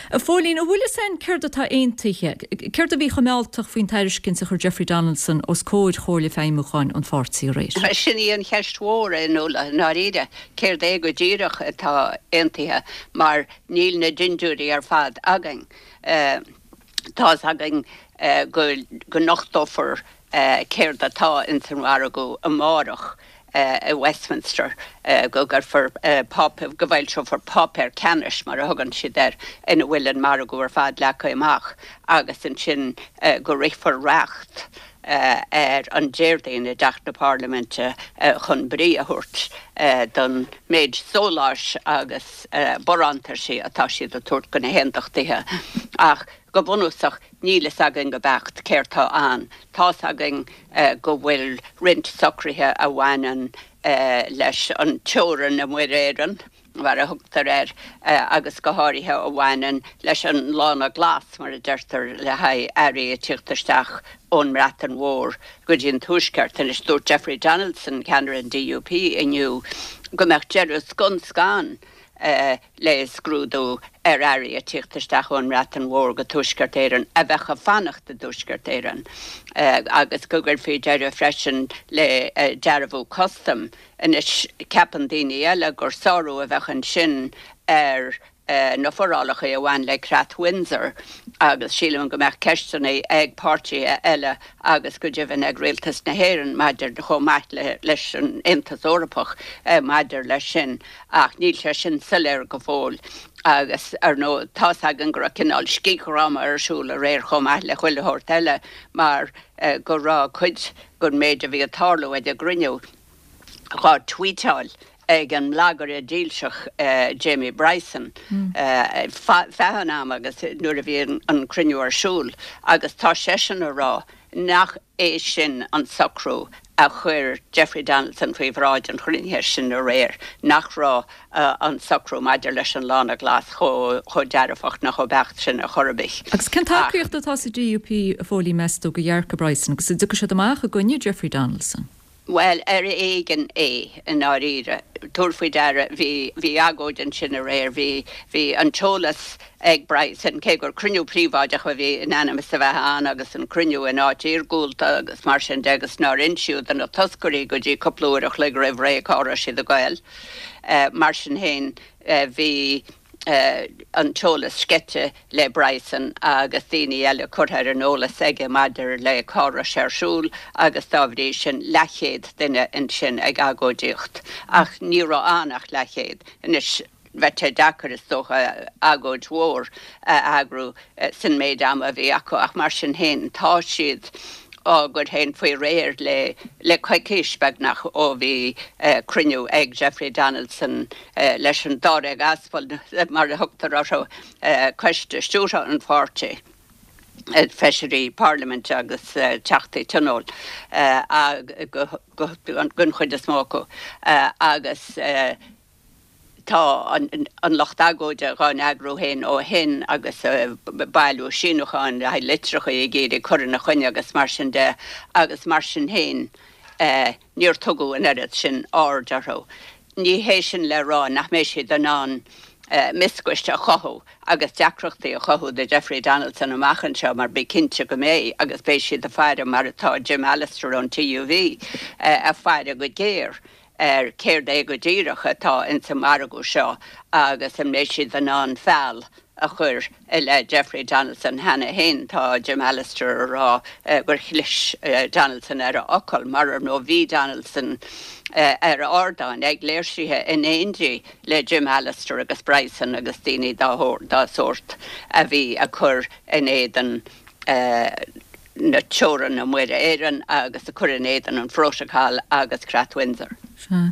A Phóilín, an bhfuil fhios a'inn céard atá aontaithe? Céard a bhí chomh mealltach faoin tairiscint a chuir Jeffrey Donaldson os comhair Chomhairle Feidhmiúcháin an pháirtí aréir? Sin í an cheist mhór, a Fhionnuala, i ndáiríre. Céard é go díreach atá aontaithe mar níl na dindiúirí ar fad againn. Tá's againn go nochtófar céard atá ins an mhargadh amárach i Westminster, go gcuirfear páipéar, go bhfoilseofar páipéar ceannais, mar a thugann siad air, ina bhfuil an margadh ar fad leagtha amach agus ansin go rithfear reacht ar an Déardaoin i dTeach na Parlaiminte chun brí a thabhairt don méid sóláis agus barántaisí atá siad ag tabhairt do na hAondachtaithe. Ach go bunúsach, níl fhios againn go beacht céard tá ann. Tá's againn go bhfuil roinnt socruithe a bhaineann leis an teorainn i Muir Éireann, mar a thugtar air, agus go háirithe a bhaineann leis an lána glas, mar a deirtear, le haghaidh earraí ag tíocht isteach ón mBreatain Mhór go dtí an Tuaisceart. Anois, dúirt Jeffrey Donaldson, ceannaire an DUP, inniu go mbeadh deireadh scun scan le scrúdú ar earraí ag tíocht isteach ón mBreatain Mhór go Tuaisceart Éireann a bheadh ag fanacht i dTuaisceart Éireann agus go gcuirfí deireadh freisin le dearbhú custaim Anois, ceapann daoine eile gur sárú a bheadh ansin ar. Na forálacha a bhain le Creat Windsor agus sílim go mbeadh ceisteanna ag páirtithe eile agus go deimhin ag Rialtas na hÉireann maidir chomh maith leis an Aontas Eorpach maidir leis sin ach níl sé sin soiléir go fóill agus ar ndóigh tá's againn go raibh cineál scigdhráma ar siúl aréir chomh maith le chuile shórt eile mar go raibh cuid den méid a bhí ag tarlú ag an gcruinniú dhá tweetáil ag an mblagaire dílseach Jamie Bryson feadh an ama agus nuair a bhí an cruinniú ar siúl agus tá seisean a rá nach é sin an socrú a chuir Jeffrey Donaldson faoi bhráid an chruinnithe sin aréir, nach raibh an socrú maidir leis an Lána Glas chomh dearfach ná chomh beacht sin ar chor ar bith. Agus cén tacaíocht atá sa DUP, a Phóilín, meas tú, do dhearcadh Bryson agus an dtiocfaidh siad amach i gcoinne Jeffrey Donaldson? Bhuel, ar éigean é, i ndáiríre. Tabhair faoi deara, bhí, bhí agóid ansin aréir, bhí, bhí an t-eolas ag Bryson, cé gur cruinniú príobháideach a bhí in ainm is a bheith ann agus an cruinniú in áit iargúlta agus mar sin de agus nár insíodh do na toscairí go dtí cúpla uair a chloig roimh ré cá raibh siad ag goil. Mar sin féin, bhí. an t-eolas sceite le Bryson agus daoine eile curtha ar an eolas aige maidir le cá raibh sé ar siúl agus dá bhrí sin leathchéad duine ansin ag agóidíocht. Ach ní raibh ann ach leathchéad. Anois bheadh sé deacair is dócha agóid mhór a eagrú san méid ama a bhí acu ach mar sin féin tá siad á gcur féin faoi réir le le coicís beagnach ó bhí cruinniú ag Jeffrey Donaldson leis an dáréag aspal, mar a thugtar orthu, coiste stiúrtha an pháirtí, feisirí parlaiminte agus teachtaí tionóil den chuid is mó acu, agus tá an lucht agóide dhá n-eagrú féin ó shin agus ag bailiú síniúcháin le haghaidh litreacha ag iarraidh cur ina choinne agus mar sin de agus mar sin féin níor tugadh an oiread sin aird orthu. Ní hé sin le rá nach mbeidh siad in ann mioscais a chothú agus deacrachtaí a chothú do Jeffrey Donaldson amach anseo mar bí cinnte go mbeidh agus beidh siad ag faire mar atá Jim Allister ón TUV ag faire go géar ar céard é go díreach atá ins an margadh seo agus an mbeidh siad in ann feall a chur i leith Jeffrey Donaldson cheana féin. Tá Jim Allister a rá gur chlis Donaldson ar a fhocal mar ar ndóigh bhí Donaldson ar ardán ag léirsithe in éindí le Jim Allister agus Bryson agus daoine dá sórt a bhí ag cur in éadan na teorann Muir Éireann agus ag cur in éadan an Phrótacail agus Creat Windsor. Sea.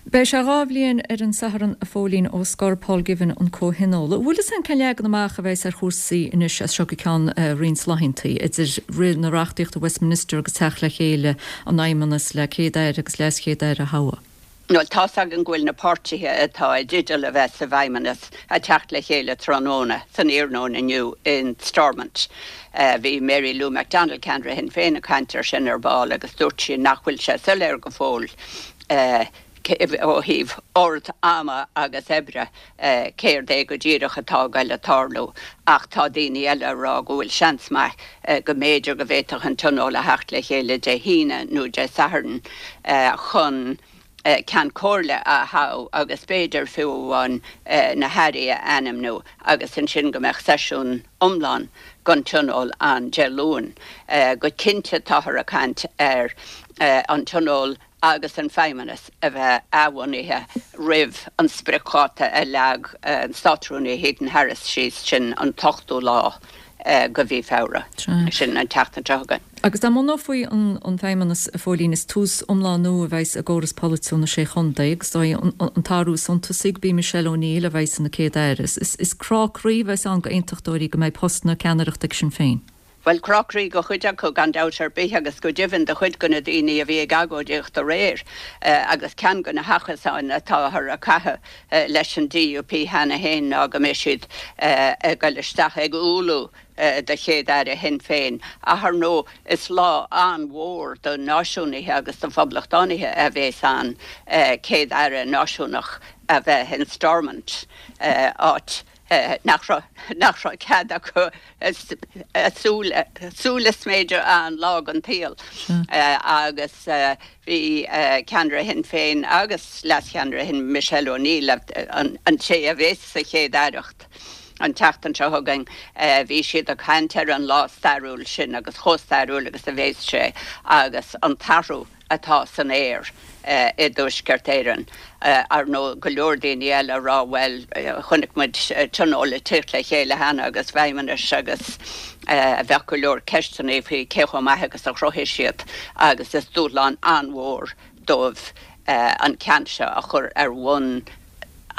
Beidh sé 2 bhliain ar an Satharn, a Phóilín, ó scor Paul Givan an Comhthionól. An bhfuil fhios a'inn cén leagan amach a bheas ar chúrsaí anois as seo go ceann roinnt laethanta, idir rith na reachtaíochta Westminster agus teacht le chéile an Fheidhmeannas le Céad-Aire agus LeasChéad-Aire a thoghadh? Bhuel, tá's againn go bhfuil na páirtithe atá i dteideal a bheith sa bhFeidhmeannas ag teacht le chéile tráthnóna, san iarnóin inniu in Stormont. Bhí Mary Lou McDonald, ceannaire Shinn Féin, ag caint air sin ar ball agus dúirt sí nach bhfuil sé soiléir go fóill ó thaobh ord ama agus oibre céard é go díreach atá ag goil a tarlú ach tá daoine eile ag rá go bhfuil seans maith go mb'fhéidir go bhféadfadh an Tionól a theacht le chéile Dé hAoine nó Dé Sathairn chun Ceann Comhairle a thoghadh agus b'fhéidir fiú amháin na hairí a ainmniú agus ansin go mbeadh seisiún iomlán den Tionól ann Dé Luain. Go cinnte táthar ag caint ar an Tionól agus an Feidhmeannas a bheith athbhunaithe roimh an spriocdháta a leag an Státrúnaí Heaton Harris síos, sin an t-ochtú lá de mhí Feabhra, sin an tseachtain seo chugainn. Agus dá mbunófaí an Feidhmeannas, a Phóilín, is tús iomlán nua a bheas i gcóras polaitiúil na Sé Chontae agus is dóigh an t-athrú is suntasaí gurb í Michelle O'Neill a bheas ina Céad-Aire. Is crá croí a bheas ann d'aontachtóirí go mbeidh post na ceannaireachta ag Sinn Féin. Bhuel, crá croí do chuid acu, gan dabht ar bith, agus go deimhin do chuid de na daoine a bhí ag agóidíocht aréir, agus ceann de na hachasáin atáthar ag caitheamh leis an DUP cheana féin ná go mbeidh siad ag goil isteach ag umhlú do Chéad-Aire Shinn Féin. Ach ar ndóigh, is lá an-mhór do náisiúnaithe agus do phoblachtánaithe a bheas ann Céad-Aire náisiúnach a bheith in Stormont, áit. Nach raibh, nach raibh cead acu a súil a sméideadh aon lá den tsaol. Agus bhí ceannaire Shinn Féin agus leascheannaire Shinn Michelle O'Neill, an té a bheas sa Chéad Aireacht an tseachtain seo chugainn, bhí siad ag caint ar an lá stairiúil sin agus chomh stairiúil agus a bheas sé agus an t-athrú atá san aer i dTuaisceart Éireann. Ar ndóigh, go leor daoine eile ag rá, bhuel, chonaic muid tionól ag teacht le chéile cheana agus feidhmeannais agus bheadh go leor ceisteanna faoi cé chomh maith agus a chruthaigh siad agus is dúshlán an-mhór dóibh an ceann seo a chur ar bhonn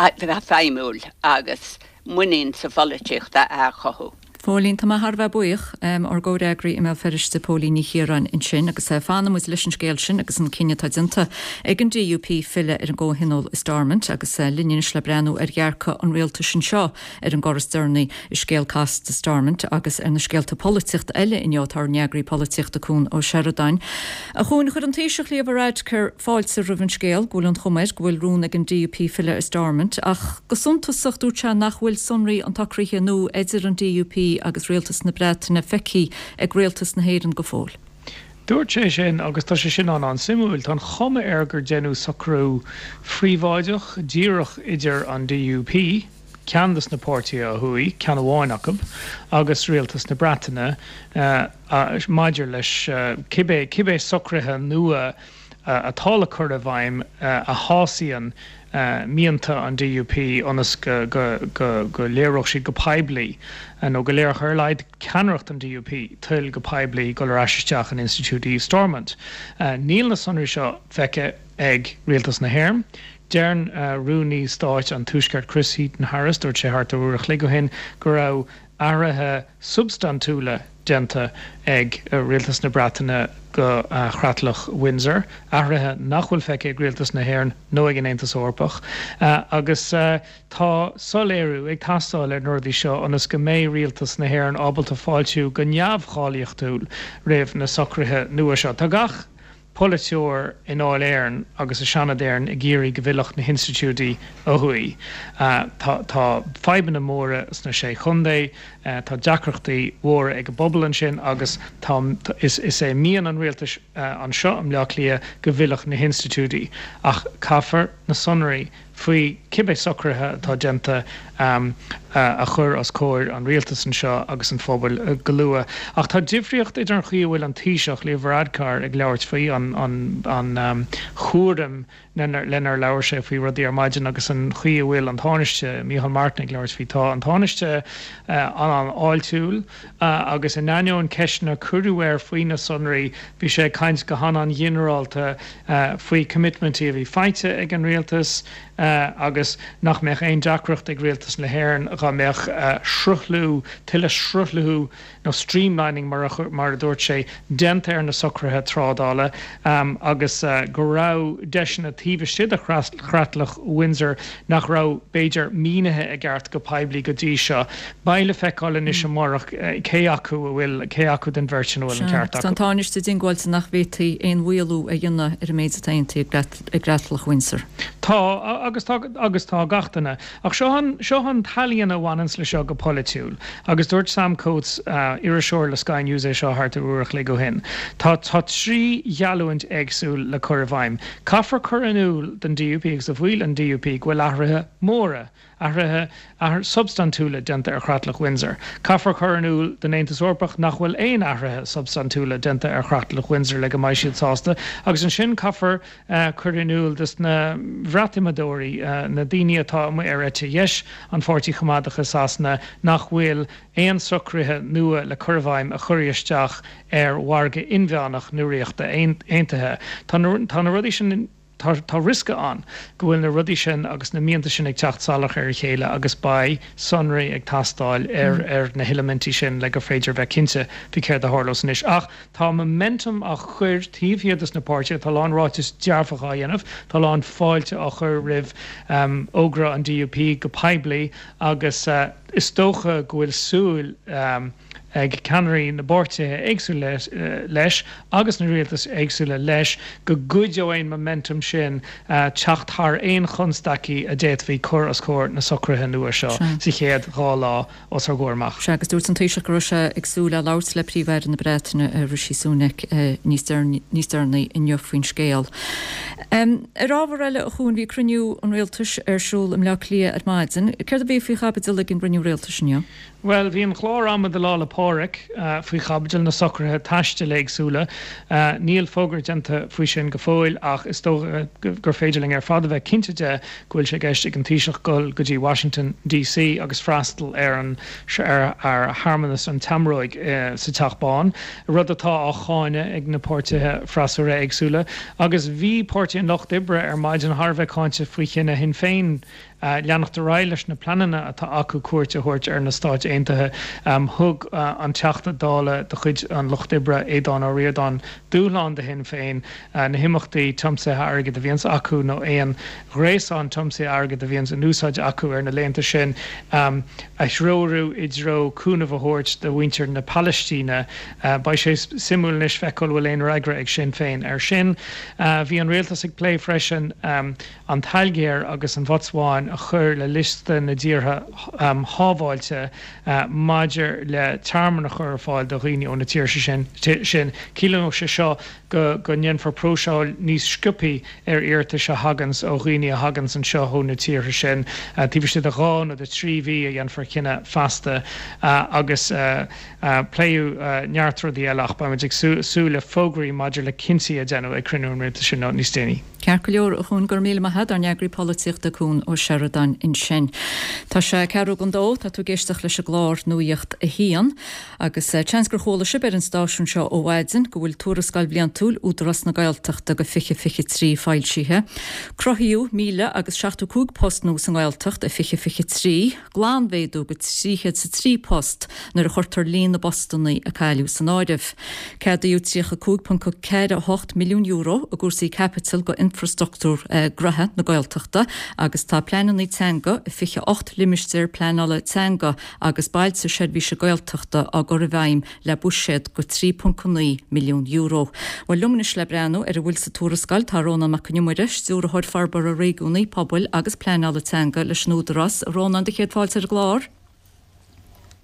feidhmiúil agus muinín sa pholaitíocht a athchothú. Phóilín, tá mé thar a bheith buíoch. Ár gcomhfhreagraí i mBéal Feirste, Póilín Ní Chiaráin ansin agus fanfaidh muid leis an scéal sin agus an cinneadh atá déanta ag an DUP filleadh ar an gcomhthionól i Stormont agus linn anois le breathnú ar dhearcadh an rialtais anseo ar an gcor is deireanaí i scéal casta Stormont agus ar na scéalta polaitíochta eile inniu tá ár n-eagraí polaitíochta Cuan Ó Seireadáin. A Chuain, chuir an Taoiseach Leo Varadkar fáilte roimh an scéal go bhfuil an chuma air go bhfuil rún ag an DUP filleadh ar Stormont ach go suntasach dúirt sé nach bhfuil sonraí an tsocraithe nua idir an DUP agus Rialtas na Breataine feicthe ag Rialtas na hÉireann go fóill. Dúirt sé sin agus tá sé sin an-an-suimiúil. Tá an chuma air gur deineadh socrú phríobháideach díreach idir an DUP, ceann de na páirtithe ó thuaidh, ceann amháin acu, agus Rialtas na Breataine maidir leis cibé cibé socruithe nua atá le cur i bhfeidhm a shásaíonn mianta an DUP ionas go go go léireodh siad go poiblí, nó go léireodh ar a laghad ceannaireacht an DUP, toil go poiblí dul ar ais isteach in institiúidí Stormont. Níl na sonraí seo feicthe ag Rialtas na hÉireann. Deireann Rúnaí Stáit an Tuaiscirt Chris Heaton-Harris, dúirt sé thart ar uair a chloig ó shin, go raibh athruithe substaintiúla déanta ag Rialtas na Breataine go Chreatlach Windsor, athruithe nach bhfuil feicthe ag Rialtas na hÉireann nó ag an Aontas Eorpach. Agus tá soiléiriú ag teastáil ar na rudaí seo ionas go mbeidh Rialtas na hÉireann ábalta fáiltiú go neamhcháilíochtúil roimh na socruithe nua seo. Tá gach polaiteoir i nDáil Éireann agus i Seanad Éireann ag iarraidh go bhfillfeadh na hinstitiúidí ó thuaidh. Tá tá fadhbanna móra sna Sé Chontae, tá deacrachtaí mhóra ag an bpobal ansin agus tá is is é mian an rialtais anseo i mBleá Cliath go bhfillfeadh na hinstitiúidí. Ach caithfear na sonraí faoi cibé socruithe atá déanta a chur os comhair an rialtais anseo agus an phobail go luath. Ach tá difríocht idir an chaoi a bhfuil an Taoiseach, Leo Varadkar, ag labhairt faoi, an chúram lenar labhair sé faoi rudaí ar maidin agus an chaoi a bhfuil an Tánaiste, Micheál Martin, ag labhairt faoi. Tá an Tánaiste an-an-fháiltiúil agus in ainneoin ceisteanna a cuireadh air faoi na sonraí, bhí sé ag caint go han-an-ghinearálta faoi coimitmintí a bhí faighte ag an rialtas agus nach mbeadh aon deacracht ag rialtas na hÉireann dhá mbeadh sruthlú, tuilleadh sruthlú nó streamlining mar a dúirt sé, déanta ar na socruithe trádála agus go raibh deiseanna taobh istigh de chreatlach Windsor nach raibh, b'fhéidir, mínithe i gceart go poiblí go dtí seo. Beidh le feiceáil anois amárach cé acu a bhfuil, cé acu den bheirt sin a bhfuil an ceart acu. Tá an Tánaiste diongbháilte nach bhféadfaí aon mhaolú a dhéanamh ar an méid atá aontaithe i gCreatlach Windsor. Tá, agus tá, agus tá gach duine. Ach seo an, seo an t-ealaíon a bhaineanns le seo go polaitiúil. Agus dúirt Sam Coates, iriseoir le Sky News é seo thart ar uair a chloig ó shin. Tá, tá 3 gheallúint éagsúil le cur i bhfeidhm. Caithfear cur in iúl don DUP agus do bhaill an DUP go bhfuil athruithe móra, athruithe substaintiúla déanta ar Chreatlach Windsor. Caithfear cur in iúl don Aontas Eorpach nach bhfuil aon athruithe substaintiúla déanta ar Chreatlach Windsor le go mbeidh siad sásta agus ansin caithfear cur in iúl dos na Bhreatimeadóirí, na daoine atá amuigh ar eite dheis an Pháirtí Choimeádach i Sasana, nach bhfuil aon socruithe nua le cur i bhfeidhm a chuirfidh isteach ar mhargadh inmheánach na Ríochta Aontaithe. Tá na rudaí sin. Tá riosca ann go bhfuil na rudaí sin agus na mianta sin ag teacht salach ar a chéile agus beidh sonraí ag teastáil ar ar na heilimintí sin le gur féidir a bheith cinnte faoi céard a tharlós anois. Ach tá momentum á chur taobh thiar dos na páirtithe, tá a lán ráiteas dearfach á dhéanamh, tá a lán fáilte á chur roimh fhógra an DUP go poiblí agus is dócha go bhfuil súil. ag ceannairí na bpáirtithe éagsúla leis agus na rialtais éagsúla leis go gcuideoidh an momentum sin teacht thar aon chonstaicí a d'fhéadfaí cur os comhair na socruithe nua seo sa chéad 2 lá os ár gcomhair amach. Sea, agus dúirt an Taoiseach go raibh sé ag súil le labhairt le Príomh-Aire na Breataine, Rishi Sunak, níos deireanaí inniu faoin scéal. Ar ábhar eile, a Chuain, bhí cruinniú an Rialtais ar siúl i mBleá Cliath ar maidin. Céard a bhí faoi chaibidil ag an gcruinniú Rialtais inniu? Bhuel, bhí an clár ama do Lá 'le Pádraig faoi chaibidil, na socruithe taistil éagsúla. Níl fógra déanta faoi sin go fóill ach is dócha gur féidir linn ar fad a bheith cinnte de go bhfuil sé i gceist ag an Taoiseach dul go dtí Washington DC agus freastal ar an ar shearmanas an tseamróig sa Teach Bán, rud atá á cháineadh ag na páirtithe freasúra éagsúla. Agus bhí Páirtí an Lucht Oibre ar maidin thar a bheith cáinte faoi chinneadh Shinn Féin leanacht ar aghaidh leis na pleananna atá acu cuairt a thabhairt ar na Stáit Aontaithe. Thug an Teachta Dála de chuid an Lucht Oibre, Aodhán Ó Ríordáin, dúshlán do Shinn Féin na himeachtaí tiomsaithe airgid a bhíonns acu nó aon ghréasán tiomsaithe airgid a bhíonns in úsáid acu ar na laethanta sin a threorú i dtreo cúnamh a thabhairt do mhuintir na Palaistíne. Beidh sé suimiúil anois feiceáil an bhfuil aon fhreagra ag Sinn Féin air sin. Bhí an Rialtas ag plé freisin. an tAilgéir agus an Bhotsuáin a chur le liosta na dtíortha shábháilte maidir le tearmann a chur ar fáil do dhaoine ó na tíortha sin. Ciallóidh sé seo go go ndéanfar próiseáil níos sciobthaí ar iarratais a thaganns ó dhaoine a thaganns anseo ó na tíortha sin. Taobh istigh de dhá nó de thrí mhí a dhéanfar cinneadh feasta agus pléadh neart rudaí eile ach beimid ag súil le fógraí maidir le cinntí a déanadh ag cruinniú an Rialtais inniu níos déanaí. Ceart go leor, a Chuain, go raibh míle maith a't, ár n-eagraí polaitíochta Cuan Ó Seireadáin ansin. Tá sé ceathrú don dó, tá tú ag éisteacht leis an gclár Nuacht a hAon, agus seans gur chuala sibh ar an stáisiún seo ó mhaidin go bhfuil tuarascáil bhliantúil Údarás na Gaeltachta do 2023 foilsithe. Cruthaíodh míle agus 75 post nua sa nGaeltacht i 2023. glanmhéadú go 303 post nuair a chuirtear líon na bpostanna a cailleadh san áireamh. Ceadaíodh €35.48 milliún i gcúrsaí caipitil go infrastruchtúr gnoithe na Gaeltachta agus tá pleananna teanga i 28 limistéar pleanála teanga agus bailte seirbhíse Gaeltachta á gcur i bhfeidhm le buiséad go €3.9 milliún. Bhuel, liom anois le breathnú ar a bhfuil sa tuarascáil tá Rónán Mac Con Iomaire, Stiúrthóir Forbartha Réigiúnaí, Pobail agus Pleanála Teanga leis an Údarás. A Rónáin, do chéad fáilte ar an gclár.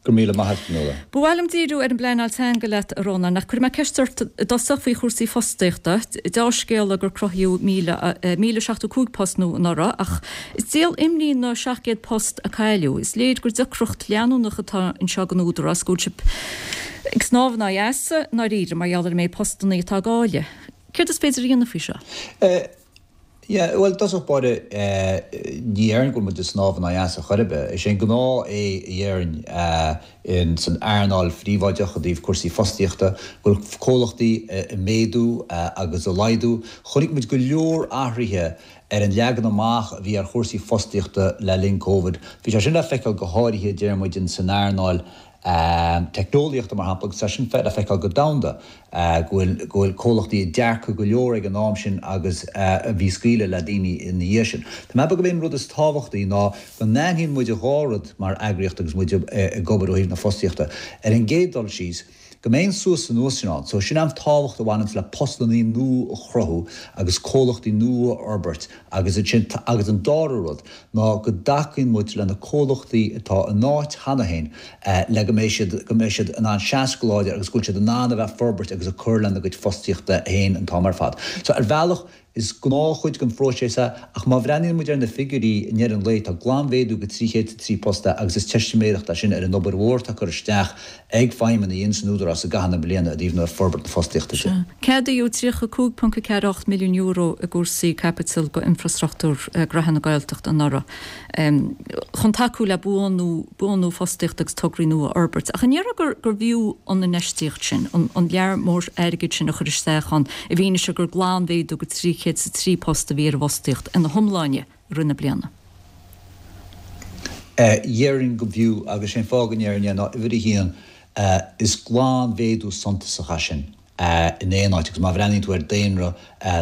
Go raibh míle maith a't, Fionnuala. Ba mhaith liom díriú ar an bpleanáil teanga leat, a Rónáin, ach cuirfidh mé ceist ort i dtosach faoi chúrsaí fostaíochta. Deá-scéala gur cruthaíodh 1,075 post nua anuraidh, ach Is díol imní na 700 post a cailleadh. Is léir gur deacracht leanúnach atá anseo don Údarás, go bhfuil sibh ag snámh in aghaidh easa i ndáiríre mar gheall ar an méid postannaí atá á gcailleadh. Céard is féidir a dhéanamh faoi seo? Yeah, bhuel, i dtosach báire, ní dhéarfainn go bhfuil muid ag snámh in aghaidh easa chor ar bith. Is é an gnáth é a dhéarfainn san earnáil phríobháideach i dtaobh cúrsaí fostaíochta, go bhfuil comhlachtaí ag méadú agus ag laghdú. Chonaic muid go leor athruithe ar an leagan amach a bhí ar chúrsaí fostaíochta le linn Covid. Bhí sé sin le feiceáil go háirithe, deir muid, in san earnáil teicneolaíochta, mar shampla, agus tá sin le feiceáil go domhanda, go bhfuil, go bhfuil comhlachtaí ag earcú go leor ag an am sin agus a bhí scaoileadh le daoine ina dhiaidh sin. Tá mé ag ceapadh gurb é an rud is tábhachtaí ná go n-aithníonn muid an dhá rud mar eagraíocht agus muid ag obair ó thaobh na fostaíochta. Ar an gcéad dul síos, go mbeidh an suas anuas sin ann. So sin an tábhacht a bhaineanns le postannaí nua a chruthú agus comhlachtaí nua a fhorbairt agus ansin agus an dara rud ná go dtacaíonn muid le na comhlachtaí atá in áit cheana féin le go mbeidh siad go mbeidh siad in ann seasamh go láidir agus go bhfuil siad in ann a bheith ag forbairt agus ag cur lena gcuid fostaíochta féin an t-am ar fad. So ar bhealach Is gnáthchuid den phróiseas é, ach má bhreathnaíonn muid ar na figiúirí i ndeireadh an lae, tá glanmhéadú go 303 post agus is teistiméireacht é sin ar an obair mhór atá curtha isteach ag feidhmeannaigh ins an Údarás i gcaitheamh na bliana i dtaobh na forbairt na fostaíochta de. Ceadaíodh €35.48 milliún i gcúrsaí caipitil go infrastruchtúr gnoithe na Gaeltachta anuraidh. chun tacú le buanú, buanú fostaíochta agus tograí nua a fhorbairt. Ach an ndéarfá gur, gurbh fhiú an infheistíocht sin, an, an lear mór airgid sin a chur isteach ann, i bhfianaise gur glanmhéadú go 303 post a bhí ar an bhfostaíocht ina hiomláine i rith na bliana? Déarfainn go bhfiú, agus sé an fáth go ndéarfainn é ná uimhir a haon, is glanmhéadú suntasach é sin. in aon áit agus má bhreathnaíonn tú ar daonra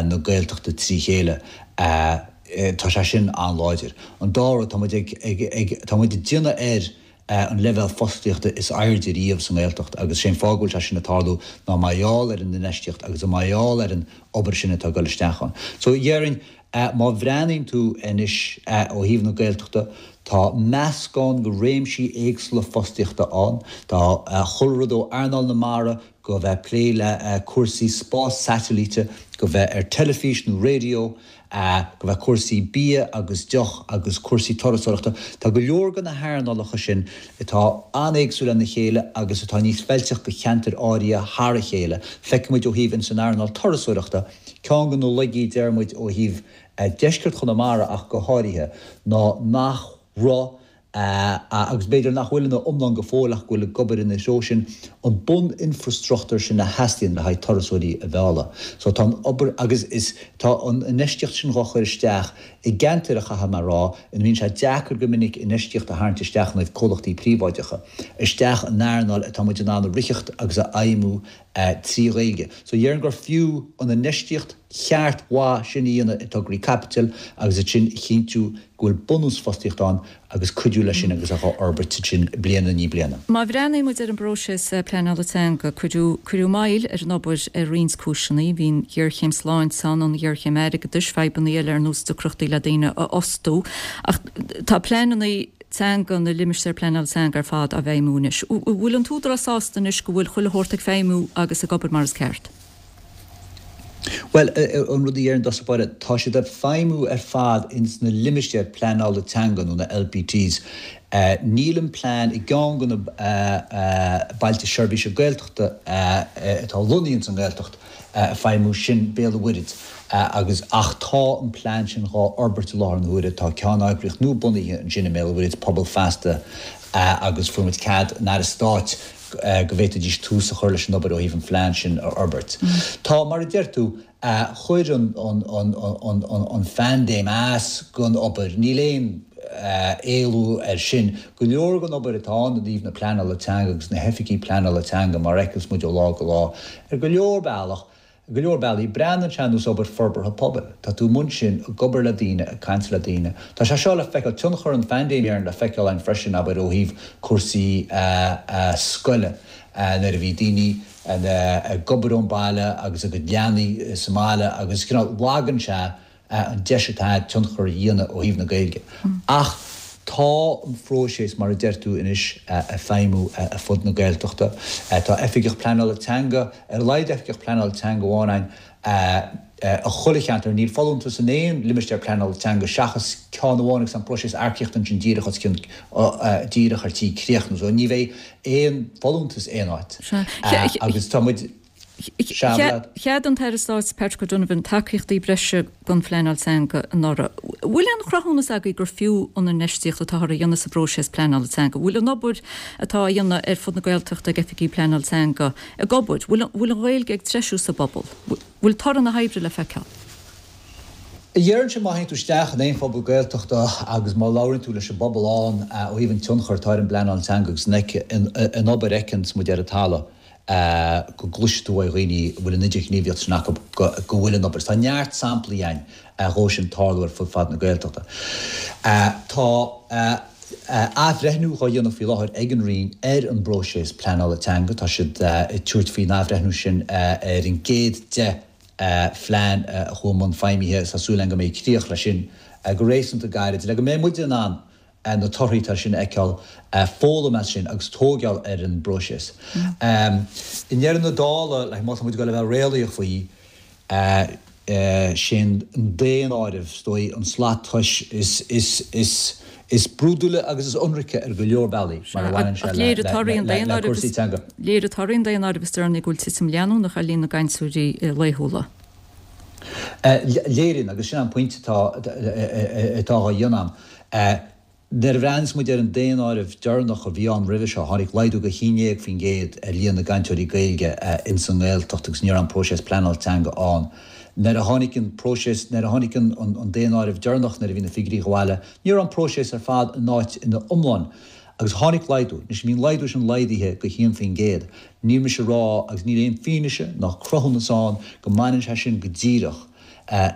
na Gaeltachta trí chéile, tá sé sin an-láidir. An dara rud, tá muid ag, ag, ag, tá muid ag déanamh air. an leibhéal fostaíochta is airde riamh sa nGaeltacht agus sé an fáth go bhfuil sé sin ag tarlú ná mar gheall ar an infheistíocht agus mar gheall ar an obair sin atá ag dul isteach ann. So dhéarfainn, má bhreathnaíonn tú anois ó thaobh na Gaeltachta, tá meascán de réimsí éagsúla fostaíochta ann. Tá chuile rud ó earnáil na mara go bheith ag plé le cúrsaí spás satailíte, go bheith ar teilifís nó raidió, go bheith cúrsaí bia agus deoch agus cúrsaí turasóireachta. Tá go leor de na hearnálacha sin atá an-éagsúil lena chéile agus atá níos feilteach do cheantair áirithe thar a chéile. Feicfidh muid ó thaobh ins an earnáil turasóireachta, ceann de na laigí deir muid ó thaobh deisceart Chonamara ach go háirithe, ná nach raibh agus b'fhéidir nach bhfuil ina iomlán go fóill ach go bhfuil ag obair ina threo sin, an bun-infreastruchtúr sin a theastaíonn le haghaidh turasóirí a mhealladh. So tá an obair agus is tá an infheistíocht sin dhá chur isteach i gceantair a chaithfidh mé a rá ina mbíonn sé deacair go minic infheistíocht a tharraingt isteach ó thaobh comhlachtaí príobháideacha, isteach in earnáil atá muid in ann a ritheacht agus a fheidhmiú 3 Ghaeilge. So dhéarfainn gur fiú an infheistíocht cheart mhaith sin a dhéanamh i dtograí caipitil agus ansin a chinntiú go bhfuil bunús fostaíochta ann agus cuidiú leis sin agus é dhá fhorbairt ansin bliain i ndiaidh bliana. Má bhreathnaíonn muid ar an bpróiseas pleanála teanga, cuireadh cuireadh moill ar an obair ar roinnt cúiseanna. Bhí an ghéarchéim sláinte ann, an ghéarchéim airgeadais, fadhbanna eile ar nós deacrachtaí le daoine a fhostú. Ach tá pleananna teanga na limistéir pleanála teanga ar fad á bhfeidhmiú anois. An bhfuil an tÚdarás sásta anois go bhfuil chuile shórt ag feidhmiú agus ag obair mar is ceart? Bhuel, an rud a déarfainn i dtosach báire, tá siad ag feidhmiú ar fad ins na limistéir pleanála teanga nó na LPTs. Níl an plean i gceann de na Bailte Seirbhíse Gaeltachta atá lonnaithe ins an nGaeltacht ag feidhmiú, sin Béal an Mhuirthead, agus ach tá an plean sin dhá fhorbairt i láthair na huaire. Tá ceanneagraíocht nua bunaithe ansin i mBéal an Mhuirthead, Pobal Feasta, agus fuair muid cead an Aire Stáit go bhféadfaidís tús a chur leis an obair ó thaobh an phlean sin a fhorbairt. Tá, mar a deir tú, chuir an phaindéim as don obair, níl aon éalú air sin. Go leor den obair atá ann i dtaobh na pleanála teanga agus na hoifigí pleanála teanga, mar a fheiceas muid ó lá go lá, ar go leor bealach, ar go leor bealaí, breathnaíonn sé ar nós obair forbartha pobail. Tá tú amuigh ansin ag obair le daoine, ag caint le daoine. Tá sé seo le feiceáil, tionchar an phaindéim le feiceáil ann freisin, abair, ó thaobh cúrsaí scoile, nuair a bhí daoine ag obair ón baile agus a gcuid leanaí sa mbaile agus cineál lagann sé an deis atá agat tionchar a dhéanamh ó thaobh na Gaeilge. Ach tá an phróiseas, mar a deir tú anois, ag feidhmiú ar fud na Gaeltachta. Tá oifigeach pleanála teanga, ar a laghad oifigeach pleanála teanga amháin againn i chuile cheantar. Níl folúntas in aon limistéar pleanála teanga seachas ceann amháin agus tá an próiseas earcaíochta ansin díreach os cionn, díreach ar tí críochnú. So ní bheidh aon folúntas aon áit. Agus tá muid. Cheadaigh an tAire Stáit Patrick O'Donovan tacaíochtaí breise don phleanáil teanga anuraidh. Bhfuil aon chruthúnas agaibh gur fiú an infheistíocht atáthar a dhéanamh sa bpróiseas pleanála teanga? Bhfuil an obair atá á dhéanamh ar fud na Gaeltachta ag oifigigh pleanála teanga ag obair? Bhfuil an Ghaeilge ag treisiú sa bpobal? Bhfuil toradh na hoibre le feiceáil? Déarfainnse má théann tú isteach in aon phobal Gaeltachta agus má labhraíonn tú leis an bpobal ann ó thaobh an tionchar atá ar an bpleanáil teanga agus an obair a fheiceanns muid ar an talamh, go gcloisfidh tú ó dhaoine a bhfuil an idirghníomhaíocht sin acu go bhfuil an obair. Tá neart samplaí ann dhó sin tarlú ar fud fad na Gaeltachta. Tá athbhreithniú dhá dhéanamh faoi láthair ag an Roinn ar an bpróiseas pleanála teanga. Tá siad ag tabhairt faoin athbhreithniú sin ar an gcéad 10 phlean a chuaigh i mbun feidhmithe. Tá súil againn go mbeidh críoch leis sin go réasúnta gairid le go mbeidh muid in ann na torthaí atá sin a fheiceáil, foghlaim as sin agus tóigeáil ar an bpróiseas. I ndeireadh na dála, like, má tá muid ag dul a bheith réalaíoch faoi, sé an daonáireamh, is dóigh, an slat tomhais is, is, is, is brúidiúla agus is ionraice ar go leor bealaí mar a bhaineann sé le, le, le cúrsaí teanga. Léirigh torthaí an daonáirimh is deireanaí go bhfuil titim leanúnach ar líon na gcainteoirí laethúla. Léiríonn, agus sin an pointe atá, atá á dhéanamh a'm. Nuair a bhreathnaíos muid ar an daonáireamh deireanach a bhí ann roimhe seo, tháinig laghdú de 11% ar líon na gcainteoirí Gaeilge ins an nGaeltacht agus ní raibh an próiseas pleanála teanga ann. Nuair a tháinig an próiseas, nuair a tháinig an daonáireamh deireanach, nuair a bhí na figiúirí abhaile, ní raibh an próiseas ar fad in áit ina iomlán agus tháinig laghdú. Anois bhí an laghdú sin laghdaithe go 1%. Níl mise ag rá, agus níl aon fianaise ná cruthúnas ann go mbaineann sé sin go díreach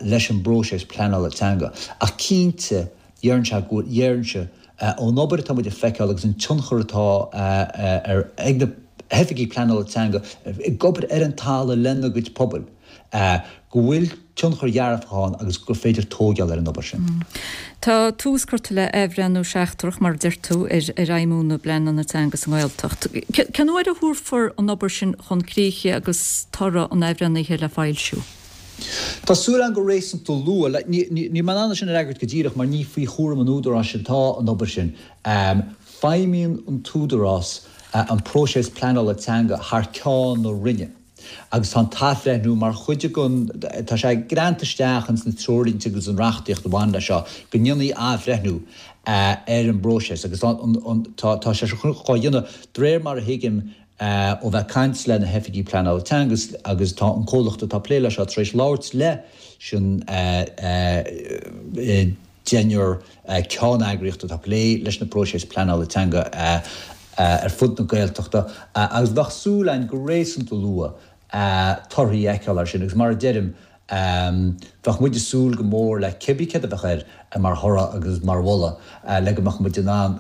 leis an bpróiseas pleanála teanga. Ach cinnte, déarfainnse go bhfuil, déarfainnse. ón obair atá muid ag feiceáil agus an tionchar atá ar ag na hoifigigh pleanála teanga ag obair ar an talamh lena gcuid pobail, go bhfuil tionchar dhearfach ann agus gur féidir tóigeáil ar an obair sin. Tá tús curtha le athbhreithniú seachtrach, mar a deir tú, ar fheidhmiú na bpleananna teanga sa nGaeltacht. Cén uair a thabharfar an obair sin chun críche agus toradh an athbhreithnithe le foilsiú? Tá súil agam go réasúnta luath. Níl mé in ann é sin a fhreagairt go díreach mar ní faoi chúram an Údaráis atá an obair sin. Feidhmíonn an tÚdarás an próiseas pleanála teanga thar ceann na Roinne agus tá an t-athbhreithniú mar chuid den, tá sé greanta isteach ins na treoirlínte agus an reachtaíocht a bhain leis seo go ndéanfaí athbhreithniú ar an bpróiseas agus tá tá sé seo á dhéanamh de réir mar a thuigim ó bheith ag caint le na hoifigigh pleanála teanga agus tá an comhlacht atá ag plé leis seo tar éis labhairt leis an deichniúr ceanneagraíocht atá ag plé leis na próiseas pleanála teanga ar fud na Gaeltachta agus bheadh súil againn go réasúnta luath torthaí a fheiceáil air sin agus mar a deirim Bheadh muid ag súil go mór le cibé céard a bheadh air mar thoradh agus mar mholadh le go mbeadh muid in ann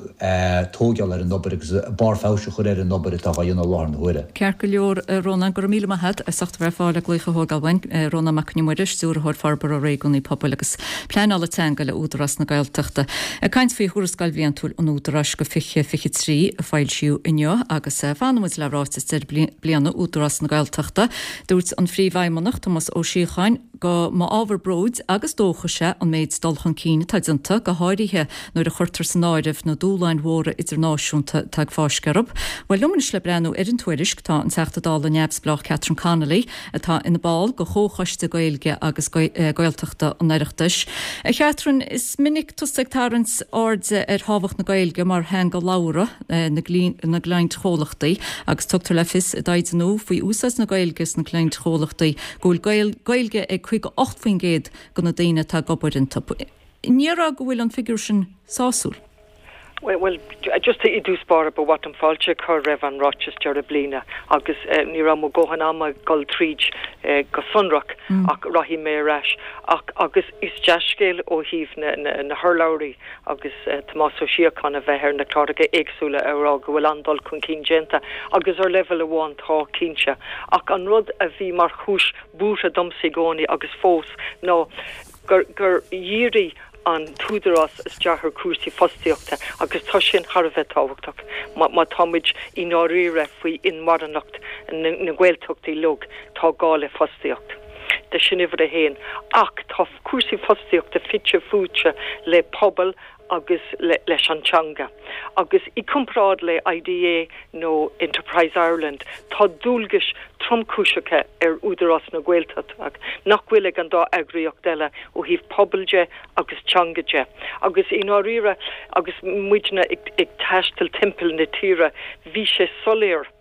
tóigeáil ar an obair agus barr feabhais a chur ar an obair atá á dhéanamh i láthair na huaire. Ceart go leor, a Rónáin, go raibh míle maith agat as ucht a bheith ar fáil le glaoch a thógáil uainn. Rónán Mac Con Iomaire, Stiúrthóir Forbartha Réigiúnaí Pobail agus Pleanála Teanga le Údarás na Gaeltachta, ag caint faoi Thuarascáil Bhliantúil an Údaráis do 2023 a foilsíodh inniu agus fanann muid le ráiteas deireadh bliana Údarás na Gaeltachta. Dúirt an Phríomhfheidhmeannach, Tomás Ó Síocháin, go mba ábhar bróid agus dóchais é an méid dul chun cinn atá déanta, go háirithe nuair a chuirtear san áireamh na dúshláin mhóra idirnáisiúnta atá ag fáisceadh orthu. Bhuel, liom anois le breathnú ar an tuairisc tá an Teachta Dála neamhspleách Catherine Connolly, atá ina ball de Chomhchoiste Gaeilge agus Gaeltachta an Oireachtais. A Chatherine, is minic tusa ag tarraingt airde ar thábhacht na Gaeilge mar theanga labhartha na gcliantchomhlachtaí agus tugtar le fios i dtaighde nua faoi úsáid na Gaeilge sna cliantchomhlachtaí go bhfuil Gaeilge ag 58% de na daoine atá ag obair iontu. Ní déarfá go bhfuil an figiúr sin sásúil. Bhuel, just i dtús báire, ba mhaith liom fáilte a chur roimh an ráiteas deireadh bliana agus ní raibh mo dhóthain ama dul tríd go sonrach ach rachaidh mé ar ais. Ach agus is dea-scéal ó thaobh na hurlabhraí agus Tomás Ó Síocháin a bheith ar na cláracha éagsúla ag rá go bhfuil an-dul chun cinn déanta agus ar leibhéal amháin tá, cinnte. Ach an rud a bhí mar chúis buartha domsa i gcónaí agus fós ná gur gur dhírigh an tÚdarás isteach ar chúrsaí fostaíochta agus tá sin thar a bheith tábhachtach má tá muid i ndáiríre faoi inmharthanacht na nGaeltachtaí uilig, tá gá le fostaíocht. Sin uimhir a haon. Ach tá cúrsaí fostaíochta fite fuaite le pobal agus leis an teanga. Agus i gcomparáid le IDA nó Enterprise Ireland, tá dualgais tromchúiseacha ar Údarás na Gaeltachta nach bhfuil ag an dá eagraíocht eile ó thaobh pobail de agus teanga de. Agus i ndáiríre, agus muidne ag taisteal timpeall na tíre, bhí sé soiléir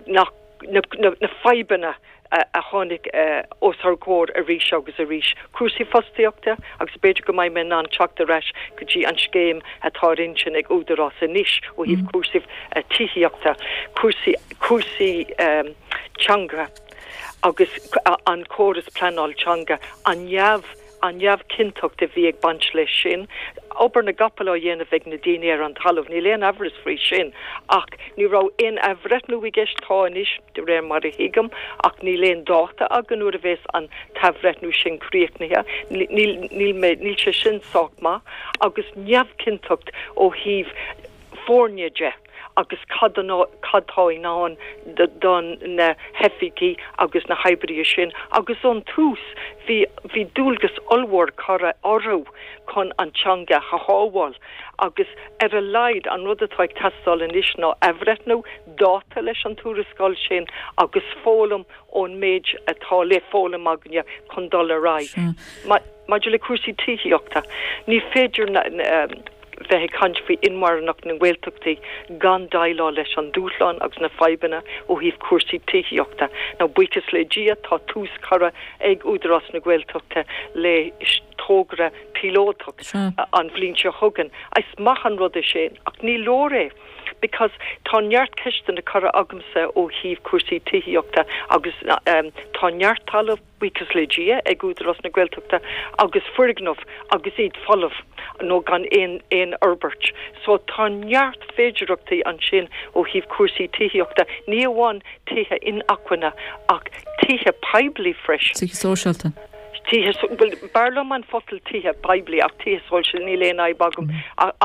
nach na fadhbanna a tháinig os ár gcomhair arís agus arís, cúrsaí fostaíochta agus b'fhéidir go mbeidh mé in ann teacht ar ais go dtí an scéim atá ar intinn ag Údarás anois ó thaobh cúrsaí tithíochta, cúrsaí cúrsaí teanga agus an córas pleanáil teanga, an neamh. an neamhchinnteacht a bhí ag baint leis sin, obair na gcapall á dhéanamh ag na daoine ar an talamh, níl aon amhras faoi sin, ach ní raibh aon athbhreithniú i gceist, tá anois, de réir mar a thuigim, ach níl aon dáta againn nuair a bheas an t-athbhreithniú sin críochnaithe, níl, níl mé, níl sé sin sách maith, agus neamhchinnteacht ó thaobh foirne de. agus cad cad tá i ndán do na hoifigigh agus na hoibrithe sin agus ón tús bhí bhí dualgas ollmhór curtha orthu chun an teanga a shábháil agus ar a laghad an rud atá ag teastáil anois ná athbhreithniú, dáta leis an tuarascáil sin agus foghlaim ón méid atá le foghlaim againne chun dul ar aghaidh. Maidir le cúrsaí tithíochta, ní féidir na bheith ag caint faoi inmharthanacht na nGaeltachtaí gan déileáil leis an dúshlán agus na fadhbanna ó thaobh cúrsaí tithíochta. Now, buíochas le Dia, tá tús curtha ag Údarás na Gaeltachta le togra píolótach an bhliain seo chugainn. Is maith an rud é sin, ach ní leor é. Because tá neart ceisteanna curtha agamsa ó thaobh cúrsaí tithíochta agus tá neart talamh, buíochas le Dia, ag Údarás na Gaeltachta agus foirgneamh agus iad folamh nó gan aon aon fhorbairt. So tá neart féidearthachtaí ansin ó thaobh cúrsaí tithíochta, ní amháin tithe inacmhainne ach tithe poiblí freisin. Tithe sóisialta. Tithe, bhuel, b'fhearr liom an focal tithe poiblí ach tithe sóisialta, níl aon fhadhb agam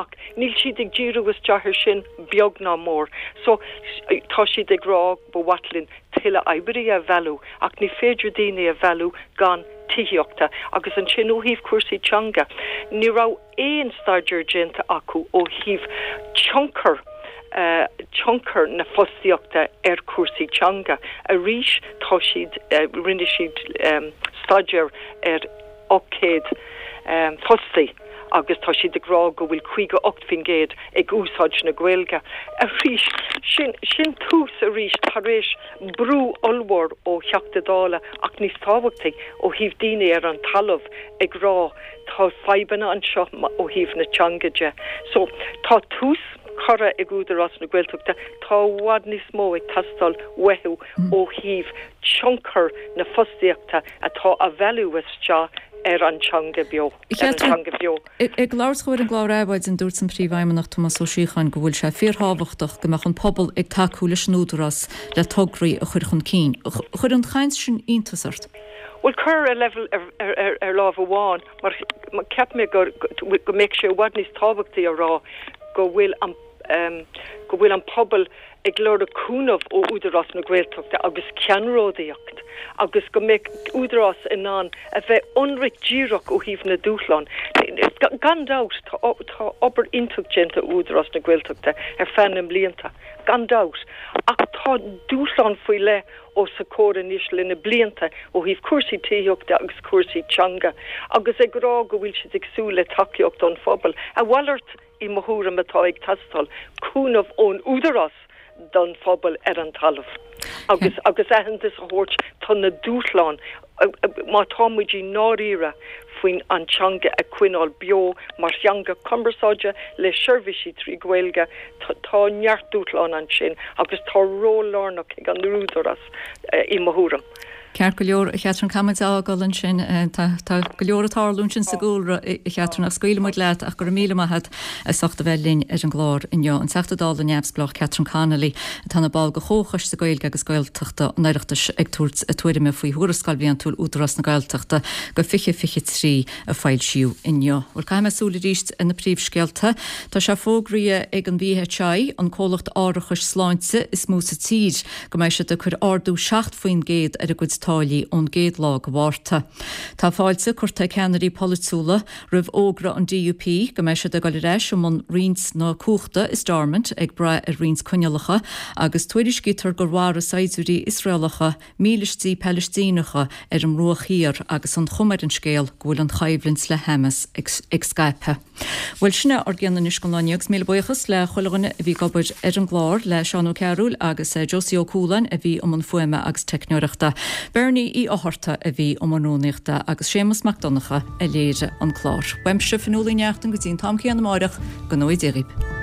ach níl siad ag díriú isteach ar sin beag ná mór. So tá siad ag rá ba mhaith linn tuilleadh oibrithe a mhealladh ach ní féidir daoine a mhealladh gan tithíochta agus ansin ó thaobh cúrsaí teanga, ní raibh aon staidéar déanta acu ó thaobh tionchar tionchar na fostaíochta ar chúrsaí teanga. Arís tá siad, rinne siad staidéar ar 800 fostaí agus tá siad ag rá go bhfuil 58% ag úsáid na Gaeilge. Arís, sin, sin tús arís tar éis brú ollmhór ó Theachta Dála ach níos tábhachtaí ó thaobh daoine ar an talamh ag rá tá fadhbanna anseo ó thaobh na teanga de. So, tá tús curtha ag Údarás na Gaeltachta, tá i bhfad níos mó ag teastáil uathu ó thaobh tionchar na fostaíochta atá á mhealladh isteach ar an teanga beo, ar an teanga bheo. Ag labhairt dó ar an gclár Adhmhaidin, dúirt an Príomhfheidhmeannach Tomás Ó Síocháin go bhfuil sé fíorthábhachtach go mbeadh an pobal ag tacú leis an Údarás le tograí a chur chun cinn. Chuir an chaint sin iontas ort? Bhuel, chuir ar leibhéal ar lámh amháin, mar cheap mé go mbeadh sé i bhfad níos tábhachtaí a rá go bhfuil an go bhfuil an pobal ag lorg cúnamh ó Údarás na Gaeltachta agus ceannródaíocht agus go mbeadh Údarás in ann a bheith ionraic díreach ó thaobh na dúshlán. Gan dabht tá tá obair iontach déanta ag Údarás na Gaeltachta ar feadh na mblianta, gan dabht, ach tá dúshlán faoi leith os a comhair anois le na blianta ó thaobh cúrsaí tithíochta agus cúrsaí teanga agus ag rá go bhfuil siad ag súil le tacaíocht ón phobal. A mhalairt, i mo thuairim, atá ag teastáil, cúnamh ón údarás don phobal ar an talamh agus agus aitheantas a thabhairt do na dúshláin má tá muid i ndáiríre faoin an teanga a choinneáil beo mar theanga cumarsáide le seirbhísí trí Ghaeilge, tá neart dúshlán ansin agus tá ról lárnach ag an údarás i mo thuairim. Ceart go leor, a Chatherine, caithfidh muid a fhágáil ansin. Tá go leor ag tarlú ansin sa gcúlra, a Chatherine, ach scaoilfidh muid leat ach go raibh míle maith agat as ucht a bheith linn ar an gclár inniu. An Teachta Dála neamhspleách Catherine Connolly, atá ina ball de Chomhchoiste Gaeilge agus Gaeltachta an Oireachtais ag tabhairt a tuairime faoi Thuarascáil Bhliantúil Údarás na Gaeltachta do 2023 a foilsíodh inniu. Bhuel, caithfidh mé súil arís ar na príomhscéalta. Tá sé fógraithe ag an VHI, an comhlacht árachais sláinte is mó sa tír, go mbeidh siad ag cur ardú 7% ar a gcuid táillí ón gcéad lá de Mhárta. Tá fáilte curtha ag ceannairí polaitiúla roimh fhógra an DUP go mbeidh siad ag dul ar ais i mbun roinnt na cumhachta i Stormont ag brath ar roinnt coinníollacha agus tuairiscítear gur mharaigh saighdiúirí Iosraelacha mílístí Palaistíneacha ar an mBruach Thiar agus an chuma ar an scéal go bhfuil an choimhlint le Hamas ag scaipeadh. Bhuel, sin é ár gcion anois don lá inniu agus míle buíochas le chuile dhuine a bhí ag obair ar an gclár, le Seán Ó Cearúil agus Josie Ó Cualáin a bhí i mbun fuaime agus teicneoireachta, Bernie Uí Fhátharta a bhí i mbun rúnaíochta agus Séamus Mac Donncha a léirigh an clár. Uaimse, Fionnuala Ní Neachtain, go dtí an t-am céanna amáireach, go ngnóthaí Dia dhaoibh.